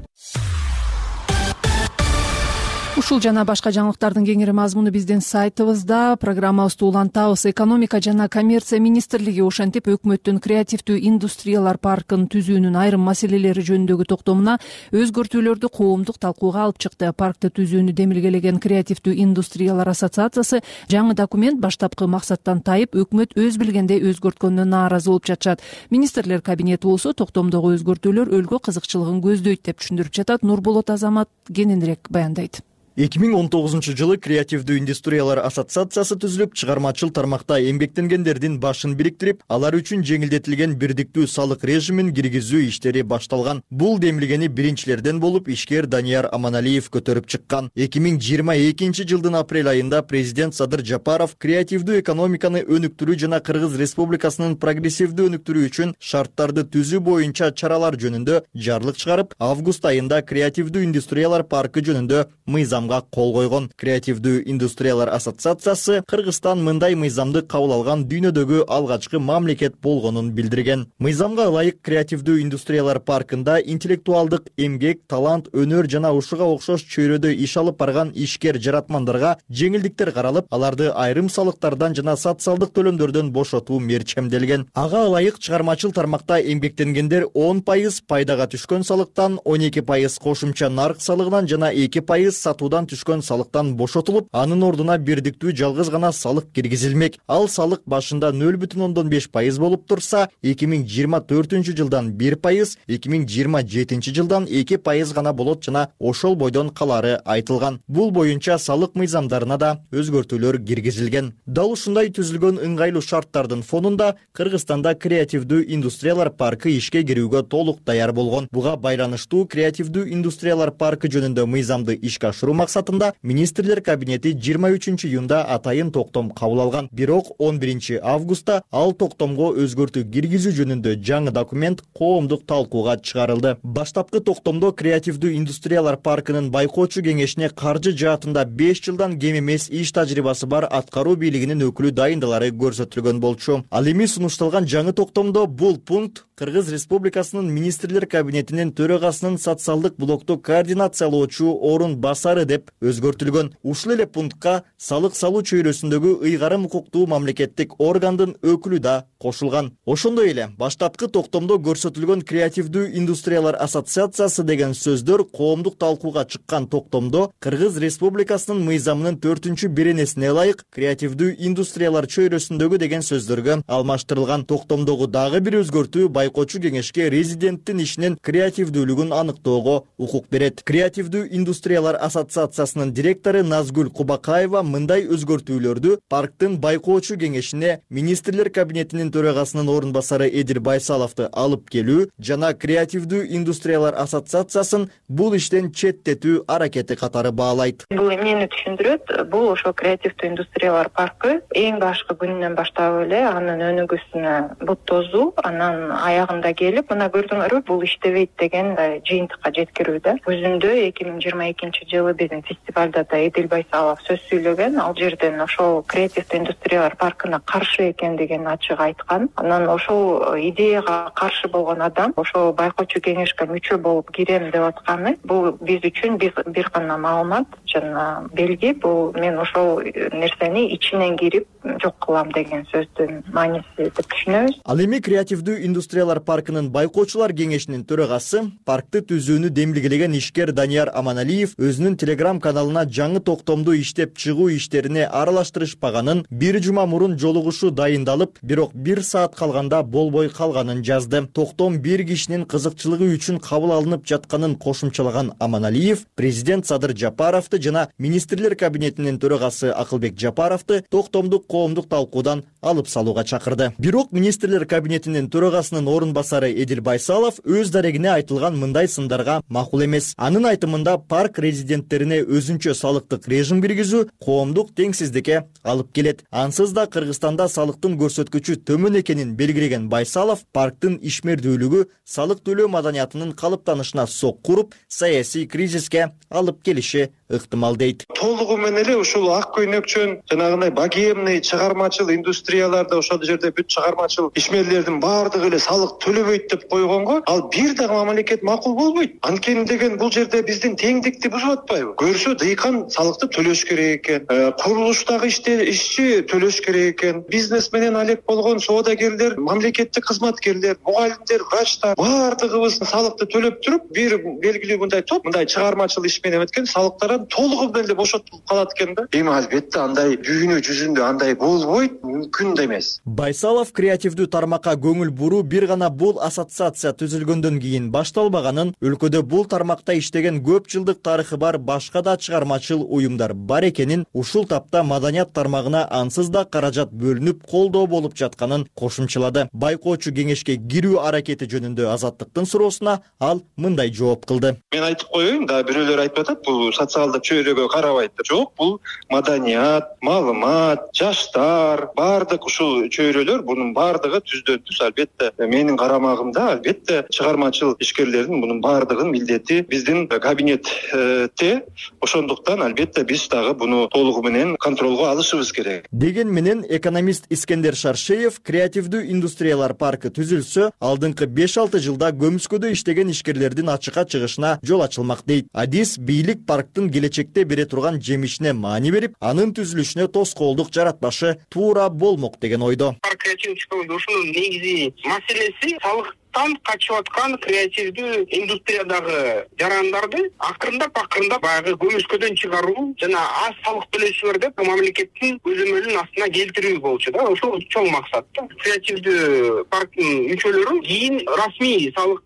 [SPEAKER 2] Ушул жана башка жаңылыктардын кеңири мазмуну биздин сайтыбызда. Программабызды улантабыз. Экономика жана коммерция министрлиги ошентип өкмөттүн креативдүү индустриялар паркын түзүүнүн айрым маселелери жөнүндөгү токтомуна өзгөртүүлөрдү коомдук талкууга алып чыкты. Паркты түзүүнү демилгелеген креативдүү индустриялар ассоциациясы жаңы документ баштапкы максаттан тайып, өкмөт өз билгендей өзгөрткөнүнө нааразы болуп жатышат. Министрлер кабинети болсо токтомдогу өзгөртүүлөр өлкө кызыкчылыгын көздөйт деп түшүндүрүп жатат. Нурболот Азамат кененирээк баяндайт.
[SPEAKER 12] эки миң он тогузунчу жылы креативдүү индустриялар ассоциациясы түзүлүп, чыгармачыл тармакта эмгектенгендердин башын бириктирип, алар үчүн жеңилдетилген бирдиктүү салык режимин киргизүү иштери башталган. Бул демилгени биринчилерден болуп ишкер Данияр Аманалиев көтөрүп чыккан. эки миң жыйырма экинчи жылдын апрель айында президент Садыр Жапаров креативдүү экономиканы өнүктүрүү жана Кыргыз Республикасынын прогрессивдүү өнүктүрүү үчүн шарттарды түзүү боюнча чаралар жөнүндө жарлык чыгарып, август айында креативдүү индустриялар паркы жөнүндө мыйзам кол койгон. Креативдүү индустриялар ассоциациясы Кыргызстан мындай мыйзамды кабыл алган дүйнөдөгү алгачкы мамлекет болгонун билдирген. Мыйзамга ылайык креативдүү индустриялар паркында интеллектуалдык эмгек, талант, өнөр жана ушуга окшош чөйрөдө иш алып барган ишкер жаратмандарга жеңилдиктер каралып, аларды айрым салыктардан жана социалдык төлөмдөрдөн бошотуу мерчемделген. Ага ылайык чыгармачыл тармакта эмгектенгендер он пайыз пайдага түшкөн салыктан, он эки пайыз кошумча нарк салыгынан жана эки пайыз сатуудан түшкөн салыктан бошотулуп, анын ордуна бирдиктүү жалгыз гана салык киргизилмек. Ал салык башында нөл бүтүн ондон беш пайыз болуп турса, эки миң жыйырма төртүнчү жылдан бир пайыз, эки миң жыйырма жетинчи жылдан эки пайыз гана болот жана ошол бойдон калары айтылган. Бул боюнча салык мыйзамдарына да өзгөртүүлөр киргизилген. Дал ушундай түзүлгөн ыңгайлуу шарттардын фонунда Кыргызстанда креативдүү индустриялар паркы ишке кирүүгө толук даяр болгон. Буга байланыштуу креативдүү индустриялар паркы жөнүндө мыйзамды ишке ашыруу максатында министрлер кабинети жыйырма үчүнчү июнда атайын токтом кабыл алган. Бирок он биринчи августта ал токтомго өзгөртүү киргизүү жөнүндө жаңы документ коомдук талкууга чыгарылды. Баштапкы токтомдо креативдүү индустриялар паркынын байкоочу кеңешине каржы жаатында беш жылдан кем эмес иш тажрыйбасы бар аткаруу бийлигинин өкүлү дайындалары көрсөтүлгөн болчу. Ал эми сунушталган жаңы токтомдо бул пункт Кыргыз Республикасынын министрлер кабинетинин төрагасынын социалдык блокту координациялоочу орун басары деп өзгөртүлгөн. Ушул эле пунктка салык салуу чөйрөсүндөгү ыйгарым укуктуу мамлекеттик органдын өкүлү да кошулган. Ошондой эле баштапкы токтомдо көрсөтүлгөн креативдүү индустриялар ассоциациясы деген сөздөр коомдук талкууга чыккан токтомдо Кыргыз Республикасынын мыйзамынын төртүнчү беренесине ылайык креативдүү индустриялар чөйрөсүндөгү деген сөздөргө алмаштырылган. Токтомдогу дагы бир өзгөртүү байкоочу кеңешке резиденттин ишинин креативдүүлүгүн аныктоого укук берет. Креативдүү индустриялар ассоциациясынын директору Назгүл Кубакаева мындай өзгөртүүлөрдү парктын байкоочу кеңешине министрлер кабинетинин төрагасынын орун басары Эдил Байсаловду алып келүү жана креативдүү индустриялар ассоциациясын бул иштен четтетүү аракети катары баалайт.
[SPEAKER 7] Бул эмнени түшүндүрөт? Бул ошо креативдүү индустриялар паркы эң башкы күнүнөн баштап эле анын өнүгүүсүнө бут тозуу, анан аягында келип, мына көрдүңөрбү, бул иштебейт деген жыйынтыкка жеткирүүдө. Өзүндө эки миң жыйырма экинчи жылы биздин фестивалда да Эдил Байсалов сөз сүйлөгөн. Ал жерден ошол креативдүү индустриялар паркына каршы экендигин ачык айткан. Анан ошол идеяга каршы болгон адам ошол байкоочу кеңешке мүчө болуп кирем деп атканы бул биз үчүн бир гана маалымат жана белги. Бул мен ошол нерсени ичинен кирип жок кылам деген сөздүн мааниси деп түшүнөбүз.
[SPEAKER 12] Ал эми креативдүү индустриялар паркынын байкоочулар кеңешинин төрагасы, паркты түзүүнү демилгелеген ишкер Данияр Аманалиев өзүнүн телеграм каналына жаңы токтомду иштеп чыгуу иштерине аралаштырышпаганын, бир жума мурун жолугушуу дайындалып, бирок бир саат калганда болбой калганын жазды. Токтом бир кишинин кызыкчылыгы үчүн кабыл алынып жатканын кошумчалаган Аманалиев, президент Садыр Жапаровду жана министрлер кабинетинин төрагасы Акылбек Жапаровду токтомдук коомдук талкуудан алып салууга чакырды. Бирок министрлер кабинетинин төрагасынын орун басары Эдил Байсалов өз дарегине айтылган мындай сындарга макул эмес. Анын айтымында парк резиденттерине өзүнчө салыктык режим киргизүү коомдук теңсиздикке алып келет. Ансыз да Кыргызстанда салыктын көрсөткүчү төмөн экенин белгилеген Байсалов парктын ишмердүүлүгү салык төлөө маданиятынын калыптанышына сокку уруп, саясий кризиске алып келиши ыктымал дейт.
[SPEAKER 5] Толугу менен эле ушул ак көйнөкчөн жанагындай богемный чыгармачыл индустрияларда ошол жерде бүт чыгармачыл ишмерлердин баардыгы эле салык төлөбөйт деп койгонго ал бир дагы мамлекет макул болбойт. Анткени деген бул жерде биздин теңдикти бузуп атпайбы? Көрсө дыйкан салыкты төлөш керек экен, курулуштагы ишчи төлөш керек экен, бизнес менен алек болгон соодагерлер, мамлекеттик кызматкерлер, мугалимдер, врачтар баардыгыбыз салыкты төлөп туруп, бир белгилүү мындай топ мындай чыгармачыл иш менен өткөн салыктардан толугу менен эле бошотулуп калат экен да. Эми албетте андай дүйнө жүзүндө андай болбойт, мүмкүн да эмес.
[SPEAKER 12] Байсалов креативдүү тармакка көңүл буруу бир гана бул ассоциация түзүлгөндөн кийин башталбаганын, өлкөдө бул тармакта иштеген көп жылдык тарыхы бар башка да чыгармачыл уюмдар бар экенин, ушул тапта маданият тармагына ансыз да каражат бөлүнүп колдоо болуп жатканын кошумчалады. Байкоочу кеңешке кирүү аракети жөнүндө Азаттыктын суроосуна ал мындай жооп кылды.
[SPEAKER 5] Мен айтып коеюн, да бирөөлөр айтып атат, бул социалдык чөйрөгө карабайт деп. Жок, бул маданият, маалымат, жаштар, баардык ушул чөйрөлөр бунун баардыгы түздөн түз албетте менин карамагымда, албетте чыгармачыл ишкерлердин бунун баардыгын милдети биздин кабинетте. Ошондуктан албетте биз дагы буну толугу менен контролго алышыбыз керек.
[SPEAKER 12] Деген менен экономист Искендер Шаршеев креативдүү индустриялар паркы түзүлсө, алдыңкы беш алты жылда көмүскөдө иштеген ишкерлердин ачыкка чыгышына жол ачылмак дейт. Адис бийлик парктын келечекте бере турган жемишине маани берип, анын түзүлүшүнө тоскоолдук жаратпашы туура болмок деген ойдо.
[SPEAKER 13] Ушунун негизи маселеси салыктан качып аткан креативдүү индустриядагы жарандарды акырындап акырындап баягы көмүскөдөн чыгаруу жана аз салык төлөйсүңөр деп мамлекеттин көзөмөлүнүн астына келтирүү болчу да. Ошол чоң максат да. Креативдүү парктын мүчөлөрү кийин расмий салык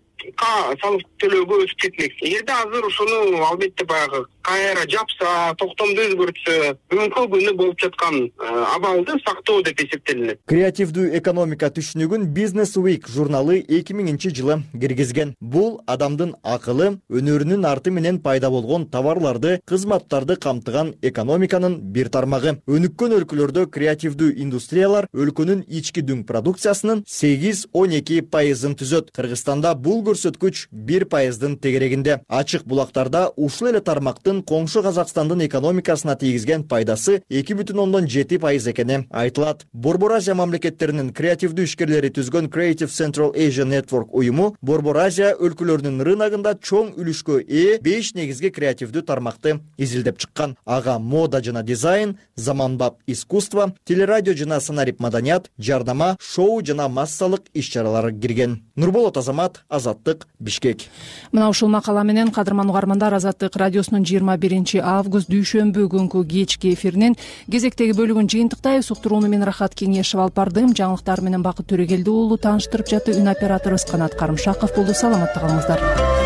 [SPEAKER 13] салык төлөөгө өтүп кетмек. Эгерде азыр ошону албетте баягы кайра жапса, токтомду өзгөртсө бүгүнкү күнү болуп жаткан абалды сактоо деп эсептелинет.
[SPEAKER 12] Креативдүү экономика түшүнүгүн Business Week журналы эки миңинчи жылы киргизген. Бул адамдын акылы, өнөрүнүн арты менен пайда болгон товарларды, кызматтарды камтыган экономиканын бир тармагы. Өнүккөн өлкөлөрдө креативдүү индустриялар өлкөнүн ички дүң продукциясынын сегиз он эки пайызын түзөт. Кыргызстанда бул көрсөткүч бир пайыздын тегерегинде. Ачык булактарда ушул эле тармактын коңшу Казакстандын экономикасына тийгизген пайдасы эки бүтүн ондон жети пайыз экени айтылат. Борбор Азия мамлекеттеринин креативдүү ишкерлери түзгөн Creative Central Asia Network уюму Борбор Азия өлкөлөрүнүн рыногунда чоң үлүшкө ээ беш негизги креативдүү тармакты изилдеп чыккан. Ага мода жана дизайн, заманбап искусство, телерадио жана сценарий маданият, жардама, шоу жана массалык иш-чаралар кирген. Нурболот Азамат, Азаттык, Бишкек.
[SPEAKER 2] Мына ушул макала менен кадырман угармандар, Азаттык радиосунун жыйырма биринчи август дүйшөмбү күнкү кечки эфиринин кезектеги бөлүгүн жыйынтыктайбыз. Уктурууну мен Рахат Кеңешев алып бардым. Жаңылыктар менен Бакыт Төрөгелди уулу тааныштырып жатты. Үн операторубуз Канат Карымшаков болду. Саламатта калыңыздар.